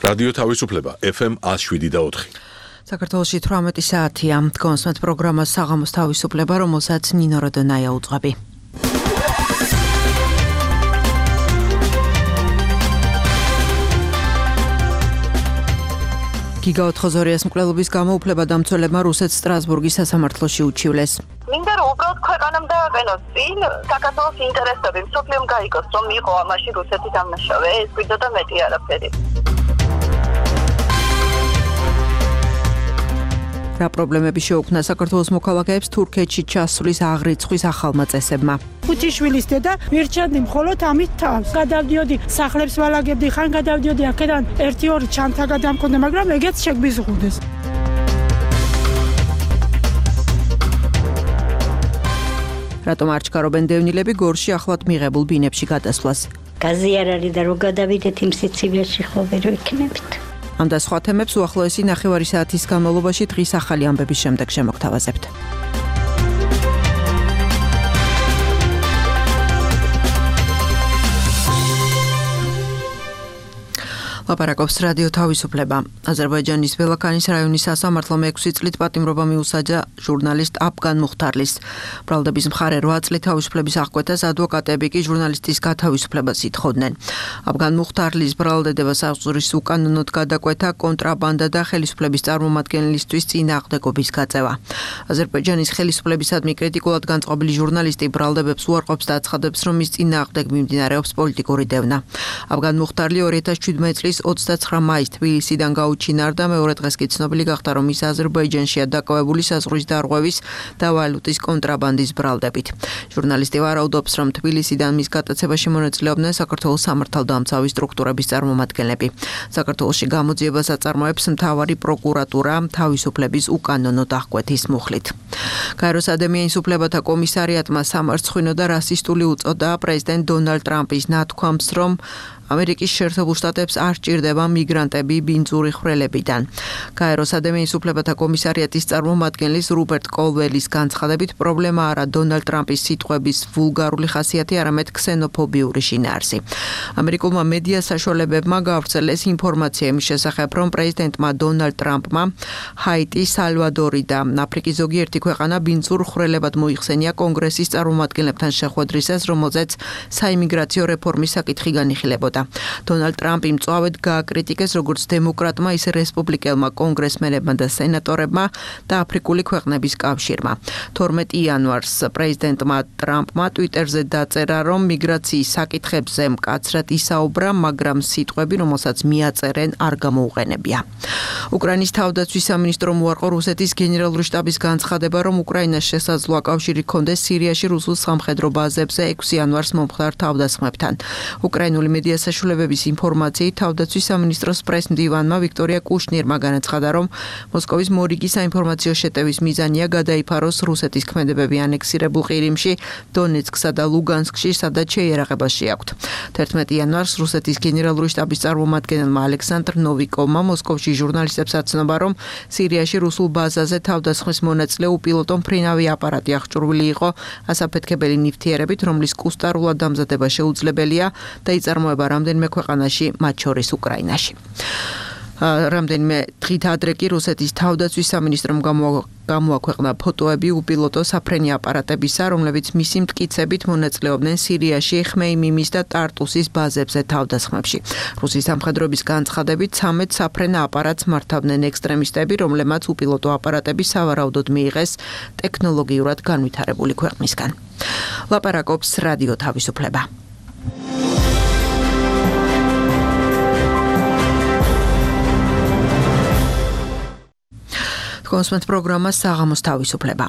რადიო თავისუფლება FM 107.4. საქართველოში 18 საათია. კონსმეთ პროგრამა საღამოს თავისუფლება, რომელსაც ნინო როდონაია უძღვები. გიგა ოთხოზორიას მკვლელობის გამო უფლებადამცველებმა რუსეთს სტრასბურგის სასამართლოში უჩივლეს. მინდა რომ უბრალოდ ქვეყანამ დააყენოს წინ საქართველოს ინტერესები, მსოფლიომ გაიგოს, რომ იყო ამაში რუსეთი დამნაშავე, ეს გვიდოდა მეტი არაფერი. რა პრობლემები შეუქმნა საქართველოს მოქალაქეებს თურქეთში ჩასვლის აღრიცხვის ახალმა წესებმა. ხუთიშვილის დედა მირჩენდი მხოლოდ ამით თავს. გადავდიოდი სახლებს ვალაგებდი, ხან გადავდიოდი აქედან 1-2 ჩანთა გადამქონდა, მაგრამ ეგეც შეგვიზღუდეს. რატომ არ ჩქარობენ დევნილები გორში ახლად მიღებულ ბინებში გადასვლას? გაზი არ არის და რო გადავიდეთ იმ სიცივიაში ხოლმე რო იქნებით. ამ და სხვა თემებს უახლოესი 9 საათის განმავლობაში დღის ახალი ამბების შემდეგ შემოგთავაზებთ. ლაპარაკობს რადიო თავისუფლება. აზერბაიჯანის ბელაქანის რაიონის სასამართლომ 6 წლით პატიმრობა მიუსაჯა ჟურნალისტ აფგან მუხთარლის. ბრალდების მხარე 8 წლით თავისუფლების აღკვეთას, ადვოკატები კი ჟურნალისტის გათავისუფლებას ითხოვდნენ. აფგან მუხთარლის ბრალდებას აღძურის უკანონოდ გადაკვეთა, კონტრაბანდა და ხელისუფლების წარმომადგენლისთვის წინააღმდეგობის გაწევა. აზერბაიჯანის ხელისუფლებისადმი კრიტიკულად განწყობილი ჟურნალისტი ბრალდებებს უარყოფს და აცხადებს, რომ მის წინააღმდეგ მიმდინარეობს პოლიტიკური დევნა. აფგან მუხთარლი 2017 წლის 29 მაისს თბილისიდან გაუჩინარდა, მეორე დღეს კი ცნობილი გახდა, რომ ის აზერბაიჯანშია დაკავებული საზღვრის დარღვევის და ვალუტის კონტრაბანდის ბრალდებით. ჟურნალისტი ვარაუდობს, რომ თბილისიდან მის გატაცებაში მონაწილეობდნენ საქართველოს სამართალდამცავი სტრუქტურების წარმომადგენლები. საქართველოში გამოძიებას აწარმოებს მთავარი პროკურატურა თავისუფლების უკანონოდ აღკვეთის მუხლით. გაეროს ადამიანის უფლებათა კომისარიატმა სამარცხვინო და რასისტული უწოდა პრეზიდენტ დონალდ ტრამპის ნათქვამს, რომ ამერიკის შეერთებულ შტატებს არ სჭირდება მიგრანტები ბინძური ხვრელებიდან. გაეროს ადამიანის უფლებათა კომისარიატის წარმომადგენლის რუბერტ კოლველის განცხადებით, პრობლემა არა დონალდ ტრამპის სიტყვების ვულგარული ხასიათი, არამედ ქსენოფობიური შინაარსი. ამერიკულმა მედია საშუალებებმა გავრცელეს ინფორმაცია იმის შესახებ, რომ პრეზიდენტმა დონალდ ტრამპმა ჰაიტი, სალვადორი და აფრიკის ზოგიერთი ქვეყანა ბინძურ ხვრელებად მოიხსენია კონგრესის წარმომადგენლებთან შეხვედრისას, რომელზეც საიმიგრაციო რეფორმის საკითხი განიხილებოდა. დონალდ ტრამპი მწვავედ გააკრიტიკეს როგორც დემოკრატმა, ისე რესპუბლიკელმა კონგრესმენებმა და სენატორებმა და აფრიკული ქვეყნების კავშირმა. 12 იანვარს პრეზიდენტმა ტრამპმა ტვიტერზე დაწერა, რომ მიგრაციის საკითხებზე მკაცრად ისაუბრა, მაგრამ სიტყვები, რომელსაც მიაწერენ, არ გამოუყენებია. უკრაინის თავდაცვის სამინისტრომ უარყო რუსეთის გენერალური შტაბის განცხადება, რომ უკრაინას შესაძლოა კავშირი ჰქონდეს სირიაში რუსულ სამხედრო ბაზებზე 6 იანვარს მომხდარ თავდასხმებთან. უკრაინული მედია საშუალებების ინფორმაციით, თავდაცვის სამინისტროს პრეს-მდივანმა ვიქტორია კუშნირმა განაცხადა, რომ მოსკოვის მორიგი საინფორმაციო შეტევის მიზანია გადაიფაროს რუსეთის ქმედებები ანექსირებულ ყირიმში, დონეცკსა და ლუგანსკში, სადაც შეიარაღება შეაქვთ. 11 იანვარს რუსეთის გენერალური შტაბის წარმომადგენელმა ალექსანდრ ნოვიკოვმა მოსკოვში ჟურნალისტებს აცნობა, რომ სირიაში რუსულ ბაზაზე თავდასხმის მონაწილე უპილოტო მფრინავი აპარატი აღჭურვილი იყო ასაფეთქებელი ნივთიერებით, რომლის კუსტარულად დამზადება შეუძლებელია და იწარმოება რამდენიმე ქვეყანაში, მათ შორის უკრაინაში. რამდენიმე დღით ადრე კი რუსეთის თავდაცვის სამინისტრომ გამოაქვეყნა ფოტოები უპილოტო საფრენი აპარატებისა, რომლებიც მისი მტკიცებით მონაწილეობდნენ სირიაში, ხმეიმიმის და ტარტუსის ბაზებზე თავდასხმებში. რუსის სამხედროების განცხადებით 13 საფრენ აპარატს მართავდნენ ექსტრემისტები, რომლებმაც უპილოტო აპარატები სავარაუდოდ მიიღეს ტექნოლოგიურად განვითარებული ქვეყნისგან. ლაპარაკობს რადიო თავისუფლება. კონსმეთ პროგრამა საღამოს თავისუფლება.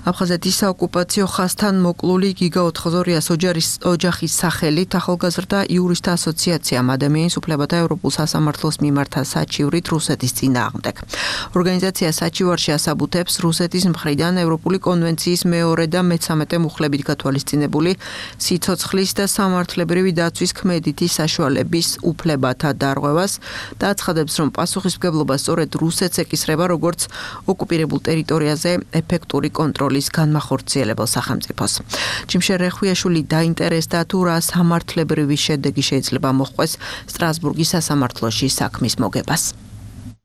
აფხაზეთის საოკუპაციო ხაზთან მოკლული გიგა ოთხოზორიას ოჯახის სახელით ახალგაზრდა იურისტთა ასოციაციამ ადამიანის უფლებათა ევროპულ სასამართლოს მიმართა საჩივრით რუსეთის წინააღმდეგ. ორგანიზაცია საჩივარში ასაბუთებს რუსეთის მხრიდან ევროპული კონვენციის მეორე და მე-13 მუხლებით გათვალისწინებული სიცოცხლის და სამართლებრივი დაცვის ქმედითი საშუალების უფლებათა დარღვევას და აცხადებს, რომ პასუხისმგებლობა სწორედ რუსეთს ეკისრება, როგორც ოკუპირებულ ტერიტორიაზე ეფექტური კონტროლის განმახორციელებელ სახელმწიფოს. ჯიმშერ რეხვიაშვილი დაინტერესდა თუ რა სამართლებრივი შედეგი შეიძლება მოჰყვეს სტრასბურგის სასამართლოში საქმის მოგებას.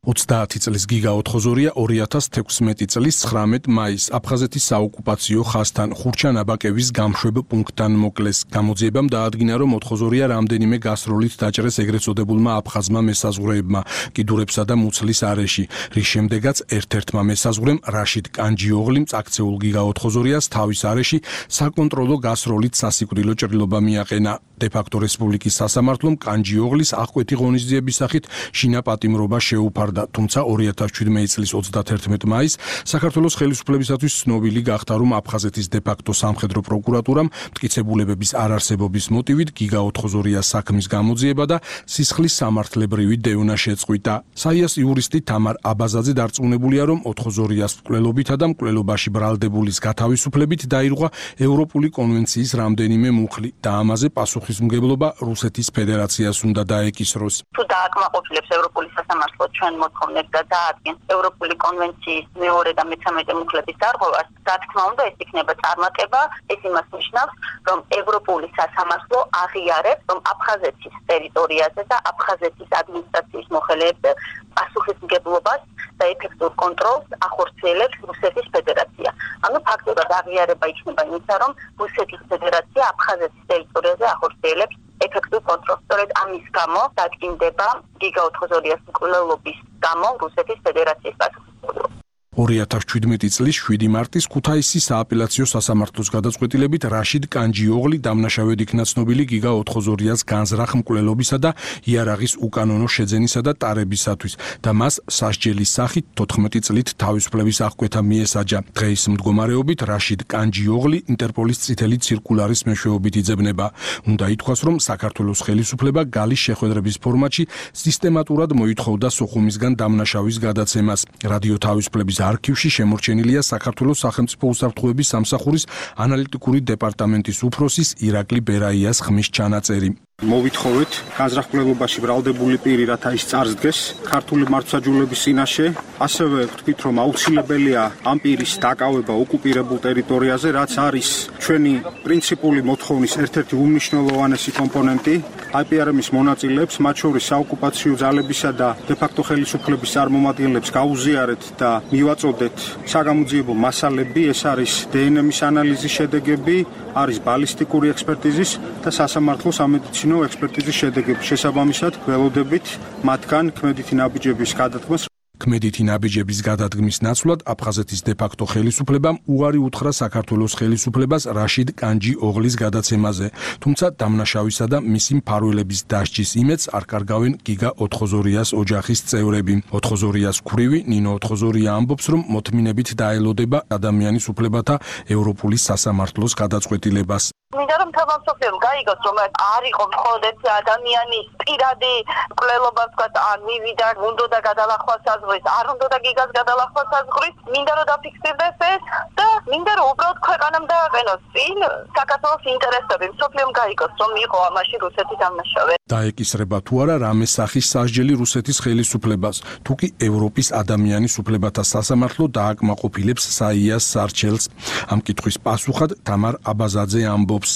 30 წლის გიგა ოთხოზორია 2016 წლის 19 მაისს აფხაზეთის საოკუპაციო ხაზთან ხურჩან აბაკევის გამშვებ პუნქტთან მოკლეს. გამოძიებამ დაადგინა, რომ ოთხოზორია რამდენიმე გასროლით დაჭრეს ეგრეთ წოდებულმა აფხაზმა მესაზღვრეებმა კიდურებსა და მუცლის არეში, რის შემდეგაც ერთ-ერთმა მესაზღვრემ რაშიდ კანჯიოღლიმ წაქცეულ გიგა ოთხოზორიას თავის არეში საკონტროლო გასროლით სასიკვდილო ჭრილობა მიაყენა. დე-ფაქტო რესპუბლიკის სასამართლომ კანჯიოღლის აღკვეთი ღონისძიების სახით შინა პატიმრობა შეუფარდა, თუმცა 2017 წლის 31 მაისს საქართველოს ხელისუფლებისათვის ცნობილი გახდა, რომ აფხაზეთის დე-ფაქტო სამხედრო პროკურატურამ მტკიცებულებების არარსებობის მოტივით გიგა ოთხოზორიას საქმის გამოძიება და სისხლის სამართლებრივი დევნა შეწყვიტა. საიას იურისტი თამარ აბაზაძე დარწმუნებულია, რომ ოთხოზორიას მკვლელობითა და მკვლელობაში ბრალდებულის გათავისუფლებით დაირღვა ევროპული კონვენციის რამდენიმე მუხლი და ამაზე პასუხისმგებლობა რუსეთის ფედერაციას უნდა დაეკისროს. თუ დააკმაყოფილებს ევროპული სასამართლო ჩვენ მოთხოვნებს და დაადგენს ევროპული კონვენციის მეორე და მე-13 მუხლების დარღვევას, რა თქმა უნდა, ეს იქნება წარმატება. ეს იმას ნიშნავს, რომ ევროპული სასამართლო აღიარებს, რომ აფხაზეთის ტერიტორიაზე და აფხაზეთის ადმინისტრაციის მოხელეებზე პასუხისმგებლობას და ეფექტურ კონტროლს ახორციელებს რუსეთის ფედერაცია. ანუ ფაქტურად აღიარება იქნება იმისა, რომ რუსეთის ფედერაცია აფხაზეთის ტერიტორიაზე ახორციელებს ეფექტურ კონტროლს. სწორედ ამის გამო დადგინდება გიგა ოთხოზორიას მკვლელობის გამო რუსეთის ფედერაციის პასუხისმგებლობა. 2017 წლის 7 მარტის ქუთაისის სააპელაციო სასამართლოს გადაწყვეტილებით რაშიდ კანჯიოღლი დამნაშავედ იქნა ცნობილი გიგა ოთხოზორიას განზრახ მკვლელობისა და იარაღის უკანონო შეძენისა და ტარებისათვის და მას სასჯელის სახით 14 წლით თავისუფლების აღკვეთა მიესაჯა. დღეის მდგომარეობით რაშიდ კანჯიოღლი ინტერპოლის წითელი ცირკულარის მეშვეობით იძებნება. უნდა ითქვას, რომ საქართველოს ხელისუფლება გალის შეხვედრების ფორმატში სისტემატურად მოითხოვდა სოხუმისგან დამნაშავის გადაცემას. რადიო თავისუფლების არქივში შემორჩენილია საქართველოს სახელმწიფო უსაფრთხოების სამსახურის ანალიტიკური დეპარტამენტის უფროსის ირაკლი ბერაიას ხმის ჩანაწერი. მოვითხოვეთ განზრახ-მკვლელობაში ბრალდებული პირი, რათა ის წარსდგეს ქართული მართლმსაჯულების წინაშე. ასევე ვთქვით, რომ აუცილებელია ამ პირის დაკავება ოკუპირებულ ტერიტორიაზე, რაც არის ჩვენი პრინციპული მოთხოვნის ერთ-ერთი უმნიშვნელოვანესი კომპონენტი. IPRM-ის მონაწილეებს, მათ შორის საოკუპაციო ძალებისა და დე-ფაქტო ხელისუფლების წარმომადგენლებს გაუზიარეთ და მივაწოდეთ საგამოძიებო მასალები. ეს არის დნმ-ის ანალიზის შედეგები, არის ბალისტიკური ექსპერტიზის და სასამართლო სამედიცინო ექსპერტიზის შედეგები. შესაბამისად, ველოდებით მათგან ქმედითი ნაბიჯების გადადგმას. ქმედითი ნაბიჯების გადადგმის ნაცვლად აფხაზეთის დე-ფაქტო ხელისუფლებამ უარი უთხრა საქართველოს ხელისუფლებას რაშიდ კანჯიოღლის გადაცემაზე, თუმცა დამნაშავისა და მისი მფარველების დასჯის იმედს არ კარგავენ გიგა ოთხოზორიას ოჯახის წევრები. ოთხოზორიას ქვრივი ნინო ოთხოზორია ამბობს, რომ მოთმინებით დაელოდება ადამიანის უფლებათა ევროპული სასამართლოს გადაწყვეტილებას. მინდა რომ თავმსოფლიომ გაიგოს, რომ არ იყო მხოლოდ ეს ადამიანის პირადი მკვლელობა, ვთქვათ, ან მივიდა, უნდა გადალახვა საზღვრის, არ უნდა გიგას გადალახვა საზღვრის, მინდა რომ დაფიქსირდეს ეს და მინდა რომ უბრალოდ ქვეყანამ დააყენოს წინ საქართველოს ინტერესები, მსოფლიომ გაიგოს, რომ იყო ამაში რუსეთის დამნაშავე. დაეკისრება თუ არა რამე სახის სასჯელი რუსეთის ხელისუფლებას, თუ კი ევროპის ადამიანის უფლებათა სასამართლო დააკმაყოფილებს საიას სარჩელს. ამ კითხვის პასუხად თამარ აბაზაძე ამბობს.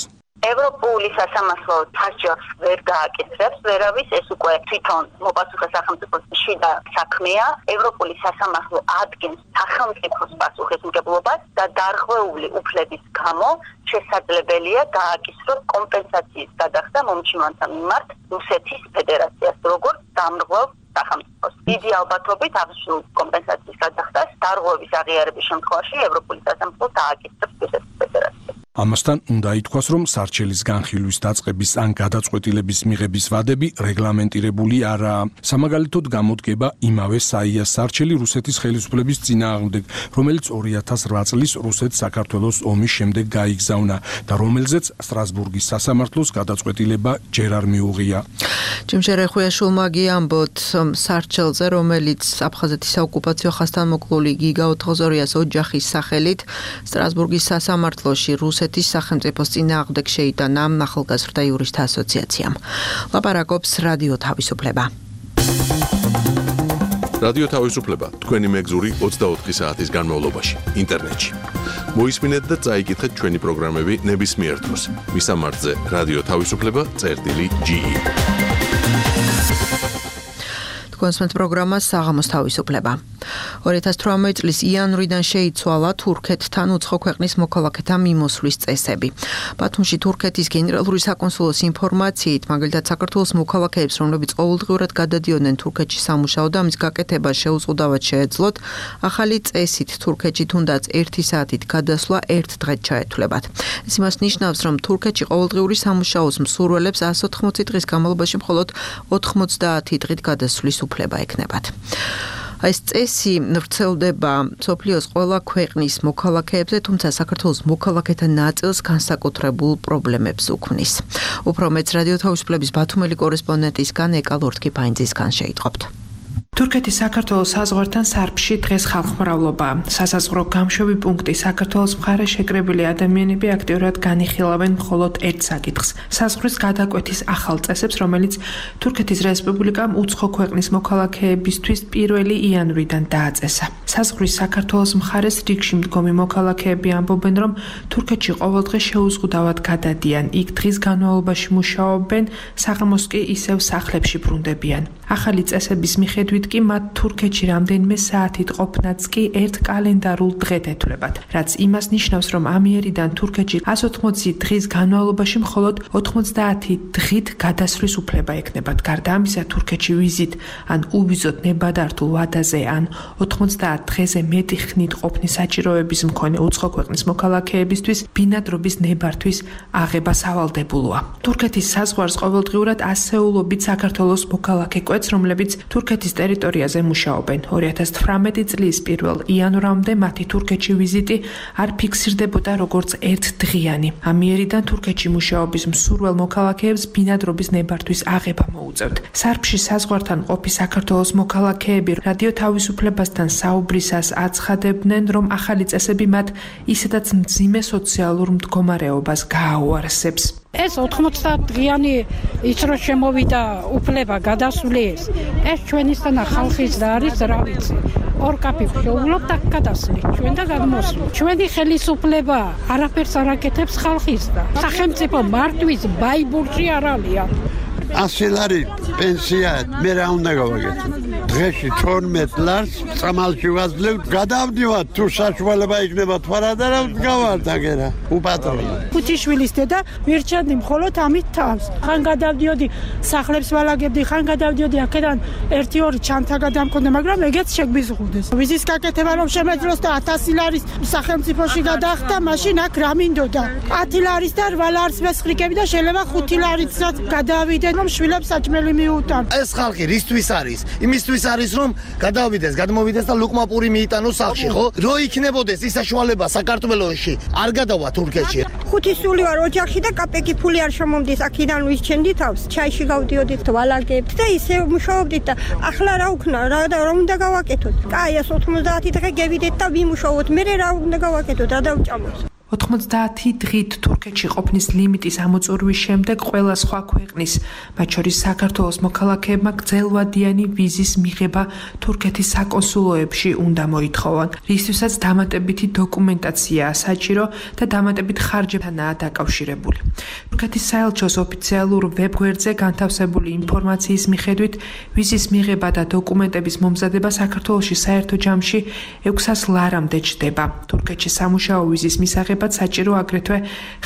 ევროპული სასამართლო სასჯელს ვერ გააკეთებს, ვერავის, ეს უკვე თვითონ მოპასუხე სახელმწიფოს შიდა საქმეა. ევროპული სასამართლო ადგენს სახელმწიფოს პასუხისმგებლობას და დარღვეული უფლების გამო შესაძლებელია გააკისროს კომპენსაციის გადახდა მომჩივანთა მიმართ რუსეთის ფედერაციას, როგორც დამრღვევ სახელმწიფოს. დიდი ალბათობით აღნიშნულ კომპენსაციის გადახდას დარღვევის აღიარების შემთხვევაში ევროპული სასამართლო დააკისრებს რუსეთის ფედერაციას. ამასთან უნდა ითქვას, რომ სარჩელის განხილვის დაწყების ან გადაწყვეტილების მიღების ვადები რეგლამენტირებული არაა. სამაგალითოდ გამოდგება იმავე საიას სარჩელი რუსეთის ხელისუფლების წინააღმდეგ, რომელიც 2008 წლის რუსეთ-საქართველოს ომის შემდეგ გაიგზავნა და რომელზეც სტრასბურგის სასამართლოს გადაწყვეტილება ჯერ არ მიუღია. ჯიმშერ რეხვიაშვილმა ამბოთ სარჩელზე, რომელიც აფხაზეთის საოკუპაციო ხაზთან მოკლული გიგა ოთხოზორიას ოჯახის სახელით სტრასბურგის სასამართლოში რუსეთის სახელმწიფოს წინააღმდეგ შეიტანა ახალგაზრდა იურისტთა ასოციაციამ. ლაპარაკობს რადიო თავისუფლება. რადიო თავისუფლება თქვენი მეგზური 24 საათის განმავლობაში ინტერნეტში. მოისმინეთ და წაიკითხეთ ჩვენი პროგრამები ნებისმიერ დროს. მისამართზე რადიო თავისუფლება წერტილი.ge. კონსმეთ პროგრამა საღამოს თავისუფლება. 2018 წლის იანვრიდან შეიცვალა თურქეთთან უცხო ქვეყნის მოქალაქეთა მიმოსვლის წესები. ბათუმში თურქეთის გენერალური საკონსულოს ინფორმაციით, მაგალითად საქართველოს მოქალაქეებს, რომლებიც ყოველდღიურად გადადიოდნენ თურქეთში სამუშაოდ და ამის გაკეთება შეუწყუდავად შეეძლოთ, ახალი წესით თურქეთში თუნდაც 1 საათით გადასვლა 1 დღედ ჩაეთვლებათ. ეს იმას ნიშნავს, რომ თურქეთში ყოველდღიური სამუშაოს მსურველებს 180 დღის განმავლობაში მხოლოდ 90 დღით გადასვლის უფლება ექნებათ. ეს წესი ვრცელდება სოფლიოს ყველა ქვეყნის მოქალაქეებზე, თუმცა საქართველოს მოქალაქეთა ნაწილს განსაკუთრებულ პრობლემებს უქმნის. უფრო მეც რადიო თავისუფლების ბათუმელი კორესპონდენტისგან ეკა ლორთქიფაინძისგან შეიტყობთ. თურქეთის საქართველოს საზღვართან სარფში დღეს ხალხმრავლობა. სასაზღვრო გამშვები პუნქტი საქართველოს მხარე შეკრებილი ადამიანები აქტიურად განიხილავენ მხოლოდ ერთ საკითხს: საზღვრის გადაკვეთის ახალ წესებს, რომელიც თურქეთის რესპუბლიკამ უცხო ქვეყნის მოქალაქეებისთვის 1 იანვრიდან დააწესა. საზღვრის საქართველოს მხარეს რიგში მდგომი მოქალაქეები ამბობენ, რომ თურქეთში ყოველდღე შეუზღუდავად გადადიან. იქ დღის განმავლობაში მუშაობენ, საღამოს კი ისევ სახლებში ბრუნდებიან. ახალი წესების მიხედვით კი მათ თურქეთში რამდენიმე საათით ყოფნაც კი ერთ კალენდარულ დღედ ეთვლებათ, რაც იმას ნიშნავს, რომ ამიერიდან თურქეთში 180 დღის განმავლობაში მხოლოდ 90 დღით გადასვლის უფლება ექნებათ. გარდა ამისა, თურქეთში ვიზით ან უბიზოდ ნებადართულ ვადაზე ან 90 დღეზე მეტი ხნით ყოფნის საჭიროების მქონე უცხო ქვეყნის მოქალაქეებისთვის ბინადრობის ნებართვის აღება სავალდებულოა. თურქეთის საზღვარს ყოველდღიურად ასეულობით საქართველოს მოქალაქე კვეთს, რომლებიც თურქეთის ტერიტორიაზე მუშაობენ. 2018 წლის 1 იანვრამდე მათი თურქეთში ვიზიტი არ ფიქსირდებოდა როგორც ერთდღიანი. ამიერიდან თურქეთში მუშაობის მსურველ მოქალაქეებს ბინადრობის ნებართვის აღება მოუწევთ. სარფში საზღვართან ყოფი საქართველოს მოქალაქეები რადიო თავისუფლებასთან საუბრისას აცხადებდნენ, რომ ახალი წესები მათ ისედაც მძიმე სოციალურ მდგომარეობას გააუარესებს. ეს 90 დღიანი ის რო შემოვიდა უფლება გადასვლის, ეს ჩვენისთანა ხალხის და არის რა ვიცი. ორ კაფე შეუვლობთ აქ გადასვლით, ჩვენ და გადმოსვლით. ჩვენი ხელისუფლება არაფერს არ აკეთებს ხალხის და სახელმწიფო მართვის ბაიბურში არ ალია. 100 ლარი პენსია მე რა უნდა გავაკეთო? დღეში 12 ლარს წამალში ვაძლევ, გადავდივარ თუ საშუალება იქნება თვარადა რა გავართ აგერა უპატრონო. ქუთიშვილის დედა მირჩენდი მხოლოდ ამით თავს. ხან გადავდიოდი სახლებს ვალაგებდი, ხან გადავდიოდი აქედან 1-2 ჩანთა გადამქონდა, მაგრამ ეგეც შეგვიზღუდეს. ვიზის გაკეთება რომ შემეძლოს და 1000 ლარის სახელმწიფოში გადახდა, მაშინ აქ რა მინდოდა? 10 ლარის და 8 ლარის მესხრიკები და შეიძლება 5 ლარიცაც გადავიდე, რომ შვილებს საჭმელი მიუტან. ეს ხალხი რისთვის არის? იმისთვის არის რომ გადავიდეს, გადმოვიდეს და ლუკმაპური მიიტანოს სახში, ხო? რო იქნებოდეს ის საშუალება საქართველოში, არ გადავა თურქეთში. ხუთისული ვარ ოჯახში და კაპეკი ფული არ შემომდის, აქედან ვისჩენდი თავს, ჩაიში გავდიოდით, ვალაგებთ და ისე მუშაობდით და ახლა რა უქნა, რა უნდა გავაკეთოთ? კაი, 90 დღე გევიდეთ და ვიმუშაოთ, მე რა უნდა გავაკეთოთ, რა დავჭამოთ? 90 დღით თურქეთში ყოფნის ლიმიტის ამოწურვის შემდეგ ყველა სხვა ქვეყნის, მათ შორის საქართველოს მოქალაქეებმა გრძელვადიანი ვიზის მიღება თურქეთის საკონსულოებში უნდა მოითხოვონ, რისთვისაც დამატებითი დოკუმენტაციაა საჭირო და დამატებით ხარჯებთანაა დაკავშირებული. თურქეთის საელჩოს ოფიციალურ ვებგვერდზე განთავსებული ინფორმაციის მიხედვით, ვიზის მიღება და დოკუმენტების მომზადება საქართველოში საერთო ჯამში 600 ლარამდე ჩდება. თურქეთში სამუშაო ვიზის მისაღებად საჭირო აგრეთვე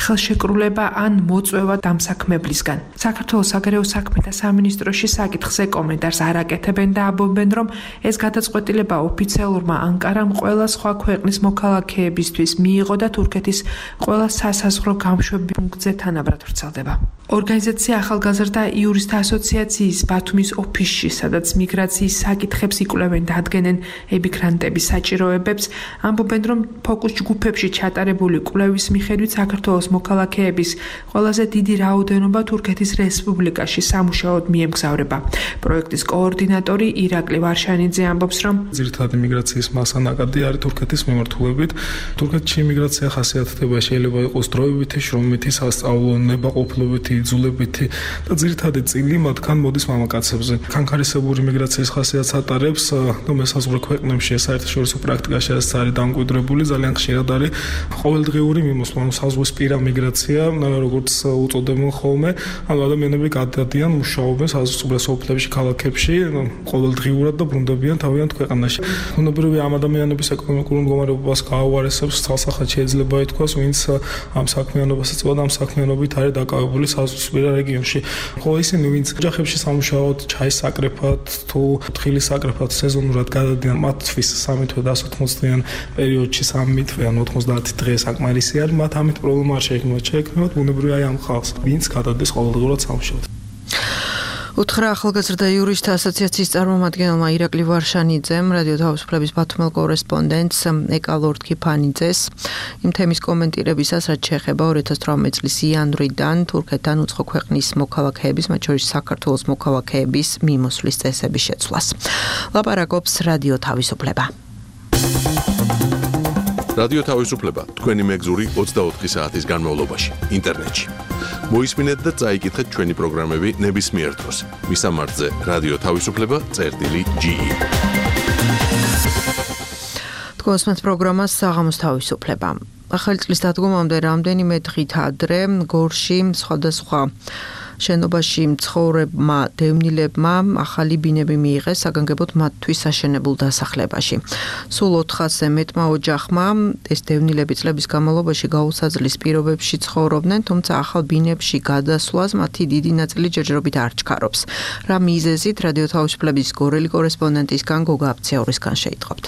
ხელშეკრულება ან მოწვევა დამსაქმებლისგან. საქართველოს საგარეო საქმეთა სამინისტროში საკითხზე კომენტარს არ აკეთებენ და ამბობენ, რომ ეს გადაწყვეტილება ოფიციალურმა ანკარამ ყველა სხვა ქვეყნის მოქალაქეებისთვის მიიღო და თურქეთის ყველა სასაზღვრო გამშვები პუნქტზე თანაბრად ვრცელდება. ორგანიზაცია ახალგაზრდა იურისტთა ასოციაციის ბათუმის ოფისში, სადაც მიგრაციის საკითხებს იკვლევენ და ადგენენ ემიგრანტების საჭიროებებს, ამბობენ, რომ ფოკუს ჯგუფებში ჩატარებული კვლევის მიხედვით საქართველოს მოქალაქეების ყველაზე დიდი რაოდენობა თურქეთის რესპუბლიკაში სამუშაოდ მიემგზავრება. პროექტის კოორდინატორი ირაკლი ვარშანიძე ამბობს, რომ ძირითადად იმიგრაციის მასა ნაკადი არის თურქეთის მიმართულებით. თურქეთში იმიგრაცია ხასიათდება შეიძლება იყოს დროებითი, შრომითი, სასწავლო, ნებაყოფლობითი, იძულებითი და ძირითადი წილი მათგან მოდის მამაკაცებზე. კანქარისებური მიგრაციის ხასიათს ატარებს და მესაზღვრე ქვეყნებში საერთაშორისო პრაქტიკაში ეს არის დამკვიდრებული, ძალიან ხშირად არის ყოველდღიური მიმოსვლა, საზღვისპირა მიგრაცია, როგორც უწოდებენ ხოლმე, ანუ ადამიანები გადადიან, მუშაობენ საზღვისპირა სოფლებში, ქალაქებში, ყოველდღიურად და ბრუნდებიან თავიანთ ქვეყანაში. ბუნებრივი ამ ადამიანების ეკონომიკურ მდგომარეობას გააუარესებს, თვალსახად შეიძლება ითქვას, ვინც ამ საქმიანობას ეწევა და ამ საქმიანობით არის დაკავებული საზღვისპირა რეგიონში. ხოლო ისინი, ვინც ოჯახებში სამუშაოდ, ჩაის საკრეფად თუ თხილის საკრეფად სეზონურად გადადიან, მათთვის 3 თვე და 180-დან პერიოდში 3 თვე ან 90 დღე საკმარისი არის, მათ ამით პრობლემა არ შეექმნათ. შეექმნათ ბუნებრივი აი ამ ხალხს, ვინც გადადის ყოველდღურად სამუშაოდ. უთხრა ახალგაზრდა იურისტთა ასოციაციის წარმომადგენელმა ირაკლი ვარშანიძემ რადიო თავისუფლების ბათუმელ კორესპონდენტს ეკალორდ ქიფანიძეს იმ თემის კომენტირებისას, რაც შეეხება 2018 წლის იანვრიდან თურქეთთან უცხო ქვეყნის მოქალაქეების, მათ შორის საქართველოს მოქალაქეების მიმოსვლის წესების შეცვლას. ლაპარაკობს რადიო თავისუფლება. რადიო თავისუფლება თქვენი მეგზური 24 საათის განმავლობაში ინტერნეტში. მოისმინეთ და წაიკითხეთ ჩვენი პროგრამები ნებისმიერ დროს. მისამართზე რადიო თავისუფლება.ge. თქვენს პროგრამას საღამოს თავისუფლება. ახალი წლის დადგომამდე რამდენიმე დღით ადრე გორში სხვადასხვა შენობაში მცხოვრებმა დევნილებმა ახალი ბინები მიიღეს საგანგებოდ მათთვის აშენებულ დასახლებაში. სულ 400-ზე მეტმა ოჯახმა ეს დევნილები წლების განმავლობაში გაუსაძლის პირობებში ცხოვრობდნენ, თუმცა ახალ ბინებში გადასვლას მათი დიდი ნაწილი ჯერჯერობით არ ჩქარობს. რა მიზეზით რადიო თავისუფლების გორელი კორესპონდენტისგან გოგა აფციაურისგან შეიტყობთ.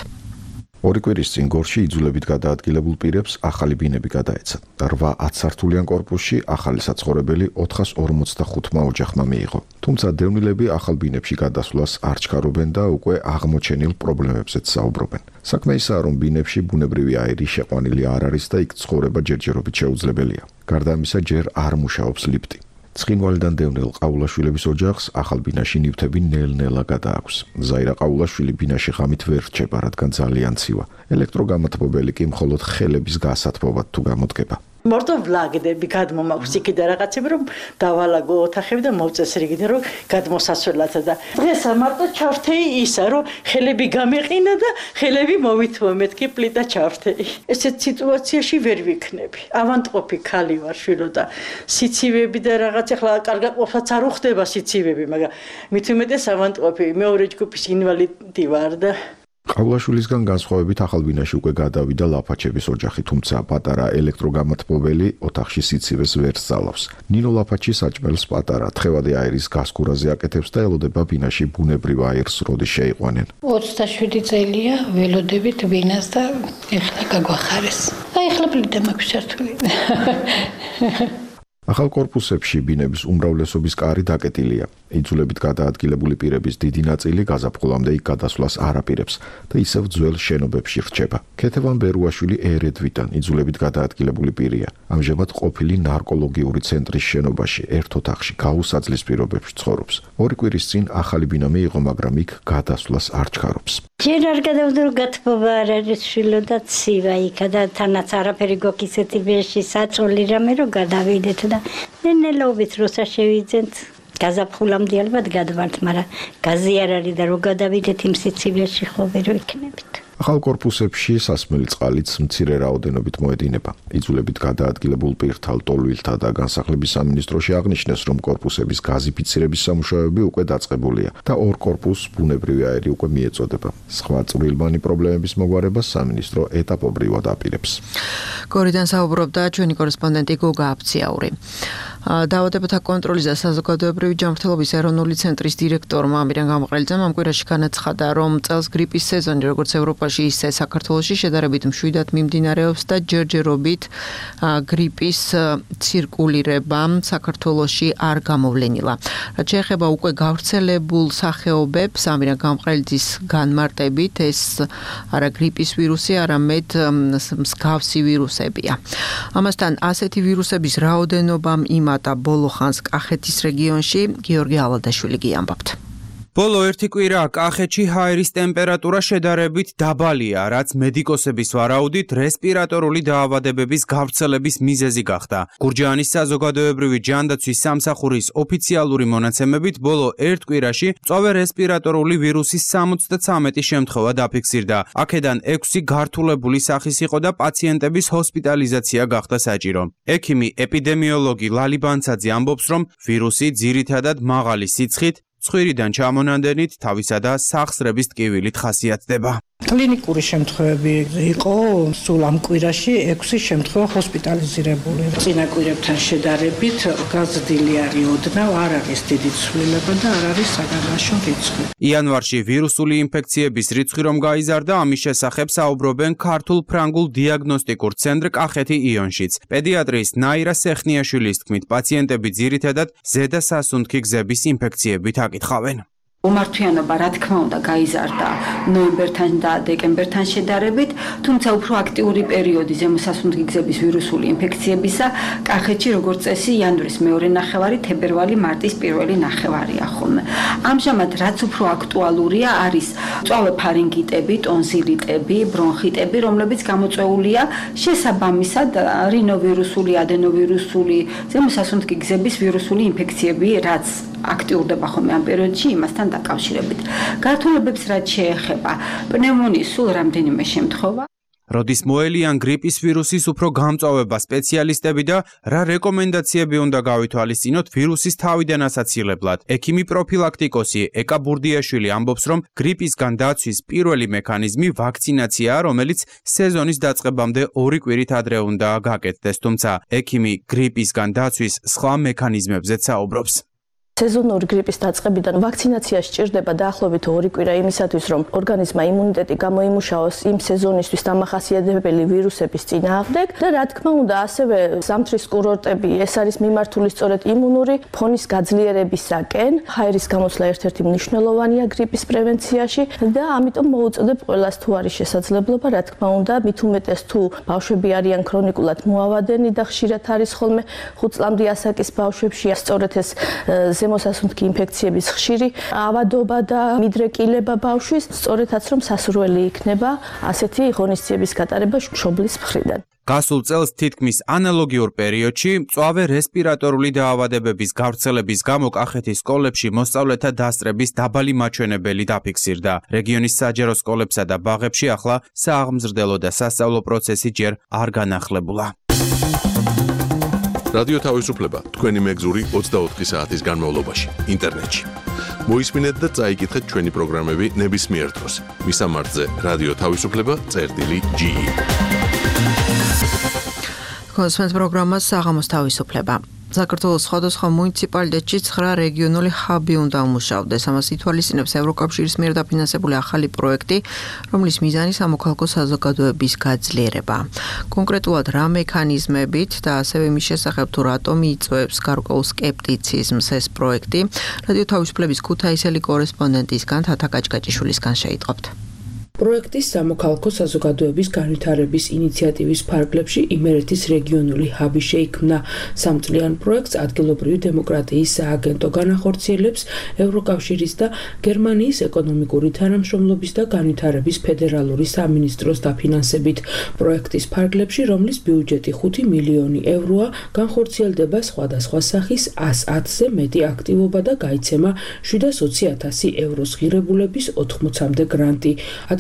2 კვირის წინ გორში იძულებით გადაადგილებულ პირებს ახალი ბინები გადაეცათ. 8 10-სართულიან კორპუსში ახალი საცხოვრებელი 445-მა ოჯახმა მიიღო. თუმცა დევნილები ახალ ბინებში გადასვლას არ ჩქარობენ და უკვე აღმოჩენილ პრობლემებზეც საუბრობენ. საქმე ისაა, რომ ბინებში ბუნებრივი აირი შეყვანილი არ არის და იქ ცხოვრება ჯერჯერობით შეუძლებელია. გარდა ამისა, ჯერ არ მუშაობს ლიფტი. ცხინვალიდან დევნილ ყაულაშვილების ოჯახს ახალ ბინაში ნივთები ნელ-ნელა გადააქვს. ზაირა ყაულაშვილი ბინაში ღამით ვერ რჩება, რადგან ძალიან ცივა. ელექტროგამათბობელი კი მხოლოდ ხელების გასათბობად თუ გამოდგება. მარტო ვლაგდები გადმომაქვს იქიდან რაღაცები, რომ დავალაგო ოთახები და მოვწესრიგდე, რომ გადმოსასვლელად და დღეს მარტო ჩავრთეი ისა, რომ ხელები გამეყინა და ხელები მოვითმო მეთქი პლიტა ჩავრთეი. ესეთ სიტუაციაში ვერ ვიქნები. ავანტყოფი ქალი ვარ შვილო და სიცივები და რაღაც ახლა კარგად ყოფაც არ უხდება სიცივები, მაგრამ მით უმეტეს ავანტყოფი, მეორე ჯგუფის ინვალიდი ვარ და ყაულაშვილისგან განსხვავებით ახალ ბინაში უკვე გადავიდა ლაფაჩების ოჯახი, თუმცა პატარა ელექტროგამათბობელი ოთახში სიცივეს ვერ სწავლავს. ნინო ლაფაჩი საჭმელს პატარა თხევადი აირის გასკურაზე აკეთებს და ელოდება ბინაში ბუნებრივ აირს როდის შეიყვანენ. 27 წელია ველოდებით ბინას და ეხლა გაგვახარეს. აი ეხლა პლიტა მაქვს ჩართული. ახალ კორპუსებში ბინების უმრავლესობის კარი დაკეტილია. იძულებით გადაადგილებული პირების დიდი ნაწილი გაზაფხულამდე იქ გადასვლას არ აპირებს და ისევ ძველ შენობებში რჩება. ქეთევან ბერუაშვილი ერედვიდან იძულებით გადაადგილებული პირია. ამჟამად ყოფილი ნარკოლოგიური ცენტრის შენობაში ერთ ოთახში გაუსაძლის პირობებში ცხოვრობს. 2 კვირის წინ ახალი ბინა მიიღო, მაგრამ იქ გადასვლას არ ჩქარობს. ჯერ არ გადავდრო გათბობა არ არის შვილო და ცივა იქა და თანაც არაფერი გოქისეთი ბეში საწოლი რამე რომ გადავიდეთ და ნენელობით როცა შევიძენთ გაზაფხულამდე ალბათ გადავართ, მაგრამ გაზი არ არის და რო გადავიდეთ იმ სიცივეში ხო ვერ ვიქნებით. ახალ კორპუსებში სასმელი წყალიც მცირე რაოდენობით მოედინება. იძულებით გადაადგილებულ პირთა ლტოლვილთა და განსახლების სამინისტროში აღნიშნეს, რომ კორპუსების გაზიფიცირების სამუშაოები უკვე დაწყებულია და 2 კორპუსს ბუნებრივი აირი უკვე მიეწოდება. სხვა წვრილმანი პრობლემების მოგვარებას სამინისტრო ეტაპობრივად აპირებს. გორიდან საუბრობდა ჩვენი კორესპონდენტი გოგა აფციაური. დაავადებათა კონტროლის და საზოგადოებრივი ჯანმრთელობის ეროვნული ცენტრის დირექტორმა ამირან გამყრელიძემ ამ კვირაში განაცხადა, რომ წელს გრიპის სეზონი როგორც ევროპაში, ისე საქართველოში შედარებით მშვიდად მიმდინარეობს და ჯერჯერობით გრიპის ცირკულირება საქართველოში არ გამოვლენილა. რაც შეეხება უკვე გავრცელებულ სახეობებს, ამირან გამყრელიძის განმარტებით, ეს არა გრიპის ვირუსი, არამედ მსგავსი ვირუსებია. ამასთან ასეთი ვირუსების რაოდენობამ იმატა ბოლო ხანს კახეთის რეგიონში. გიორგი ალადაშვილი გიამბობთ. ბოლო ერთი კვირა კახეთში ჰაერის ტემპერატურა შედარებით დაბალია, რაც მედიკოსების ვარაუდით რესპირატორული დაავადებების გავრცელების მიზეზი გახდა. გურჯაანის საზოგადოებრივი ჯანდაცვის სამსახურის ოფიციალური მონაცემებით ბოლო ერთ კვირაში მწვავე რესპირატორული ვირუსის 73 შემთხვევა დაფიქსირდა. აქედან 6 გართულებული სახის იყო და პაციენტების ჰოსპიტალიზაცია გახდა საჭირო. ექიმი ეპიდემიოლოგი ლალი ბანცაძე ამბობს, რომ ვირუსი ძირითადად მაღალი სიცხით, ცხვირიდან ჩამონანდენით, თავისა და სახსრების ტკივილით ხასიათდება. კლინიკური შემთხვევები იყო სულ ამ კვირაში 6 შემთხვევა ჰოსპიტალიზირებული. წინა კვირებთან შედარებით გაზრდილი არის ოდნავ, არ არის დიდი ცვლილება და არ არის საგანმანათლებლო რიცხვი. იანვარში ვირუსული ინფექციების რიცხვი რომ გაიზარდა, ამის შესახებ საუბრობენ ქართულ-ფრანგულ დიაგნოსტიკურ ცენტრ კახეთი იონშიც. პედიატრის ნაირა სეხნიაშვილის თქმით, პაციენტები ძირითადად ზედა სასუნთქი გზების ინფექციებით აკითხავენ. უმართვიანობა რა თქმა უნდა გაიზარდა ნოემბერთან და დეკემბერთან შედარებით, თუმცა უფრო აქტიური პერიოდი ზემოსასუნთქი გზების ვირუსული ინფექციებისა კახეთში როგორც წესი იანვრის მეორე ნახევარი, თებერვალი-მარტის პირველი ნახევარია ხოლმე. ამჟამად რაც უფრო აქტუალურია არის მწვავე ფარინგიტები, ტონზილიტები, ბრონხიტები, რომლებიც გამოწვეულია შესაბამისად რინოვირუსული, ადენოვირუსული, ზემოსასუნთქი გზების ვირუსული ინფექციები, რაც აქტიურდება ხოლმე ამ პერიოდში იმასთან დაკავშირებით. გართულებებს რაც შეეხება, პნევმონიის სულ რამდენიმე შემთხვევა. როდის მოელიან გრიპის ვირუსის უფრო გამწვავება სპეციალისტები და რა რეკომენდაციები უნდა გავითვალისწინოთ ვირუსის თავიდან ასაცილებლად. ექიმი პროფილაქტიკოსი ეკა ბურდიაშვილი ამბობს, რომ გრიპისგან დაცვის პირველი მექანიზმი ვაქცინაციაა, რომელიც სეზონის დაწყებამდე 2 კვირით ადრე უნდა გაკეთდეს, თუმცა ექიმი გრიპისგან დაცვის სხვა მექანიზმებზეც საუბრობს. სეზონური გრიპის დაწყებიდან ვაქცინაცია სჭირდება დაახლოებით 2 კვირა იმისათვის, რომ ორგანიზმმა იმუნიტეტი გამოიმუშაოს იმ სეზონისთვის დამახასიათებელი ვირუსების წინააღმდეგ და რა თქმა უნდა, ასევე ზამთრის კურორტები ეს არის მიმართული სწორედ იმუნური ფონის გაძლიერებისაკენ. ჰაერის გამოსვლა ერთ-ერთი მნიშვნელოვანია გრიპის პრევენციაში და ამიტომ მოუწოდებ ყველას თუ არის შესაძლებლობა, რა თქმა უნდა, მით უმეტეს თუ ბავშვები არიან ქრონიკულად მოავადენი და ხშირად არის ხოლმე 5 წლამდე ასაკის ბავშვებში, სწორედ ეს ზემოსასუნთქი ინფექციების ხშირი ავადობა და მიდრეკილება ბავშვის, სწორედაც რომ სასურველი იქნება ასეთი ღონისძიების გატარება მშობლის მხრიდან. გასულ წელს თითქმის ანალოგიურ პერიოდში მწვავე რესპირატორული დაავადებების გავრცელების გამო კახეთის სკოლებში მოსწავლეთა დასწრების დაბალი მაჩვენებელი დაფიქსირდა. რეგიონის საჯარო სკოლებსა და ბაღებში ახლა სააღმზრდელო და სასწავლო პროცესი ჯერ არ განახლებულა. რადიო თავისუფლება თქვენი მეგზური 24 საათის განმავლობაში ინტერნეტში. მოისმინეთ და წაიკითხეთ ჩვენი პროგრამები ნებისმიერ დროს. მისამართზე რადიო თავისუფლება.ge. კონსპენს პროგრამა საღამოს თავისუფლება. საქართველოს სხვადასხვა მუნიციპალიტეტში 9 რეგიონული ჰაბი უნდა უმუშავდეს. ამას ითვალისწინებს ევროკავშირის მიერ დაფინანსებული ახალი პროექტი, რომლის მიზანი სამოქალაქო საზოგადოების გაძლიერება. კონკრეტულად რა მექანიზმებით და ასევე მის შესახებ თუ რატომ იწვევს გარკვეულ სკეპტიციზმს ეს პროექტი, რადიო თავისუფლების ქუთაისელი კორესპონდენტისგან თათა კაჭკაჭიშვილისგან შეიტყობთ. პროექტის სამოქალაქო საზოგადოების განვითარების ინიციატივის ფარგლებში იმერეთის რეგიონული ჰაბი შეიქმნა. სამწლიან პროექტს ადგილობრივი დემოკრატიის სააგენტო განახორციელებს ევროკავშირის და გერმანიის ეკონომიკური თანამშრომლობის და განვითარების ფედერალური სამინისტროს დაფინანსებით. პროექტის ფარგლებში, რომლის ბიუჯეტი 5 მილიონი ევროა, განხორციელდება სხვადასხვა სახის 110-ზე მეტი აქტივობა და გაიცემა 720,000 ევროს ღირებულების 80-მდე გრანტი.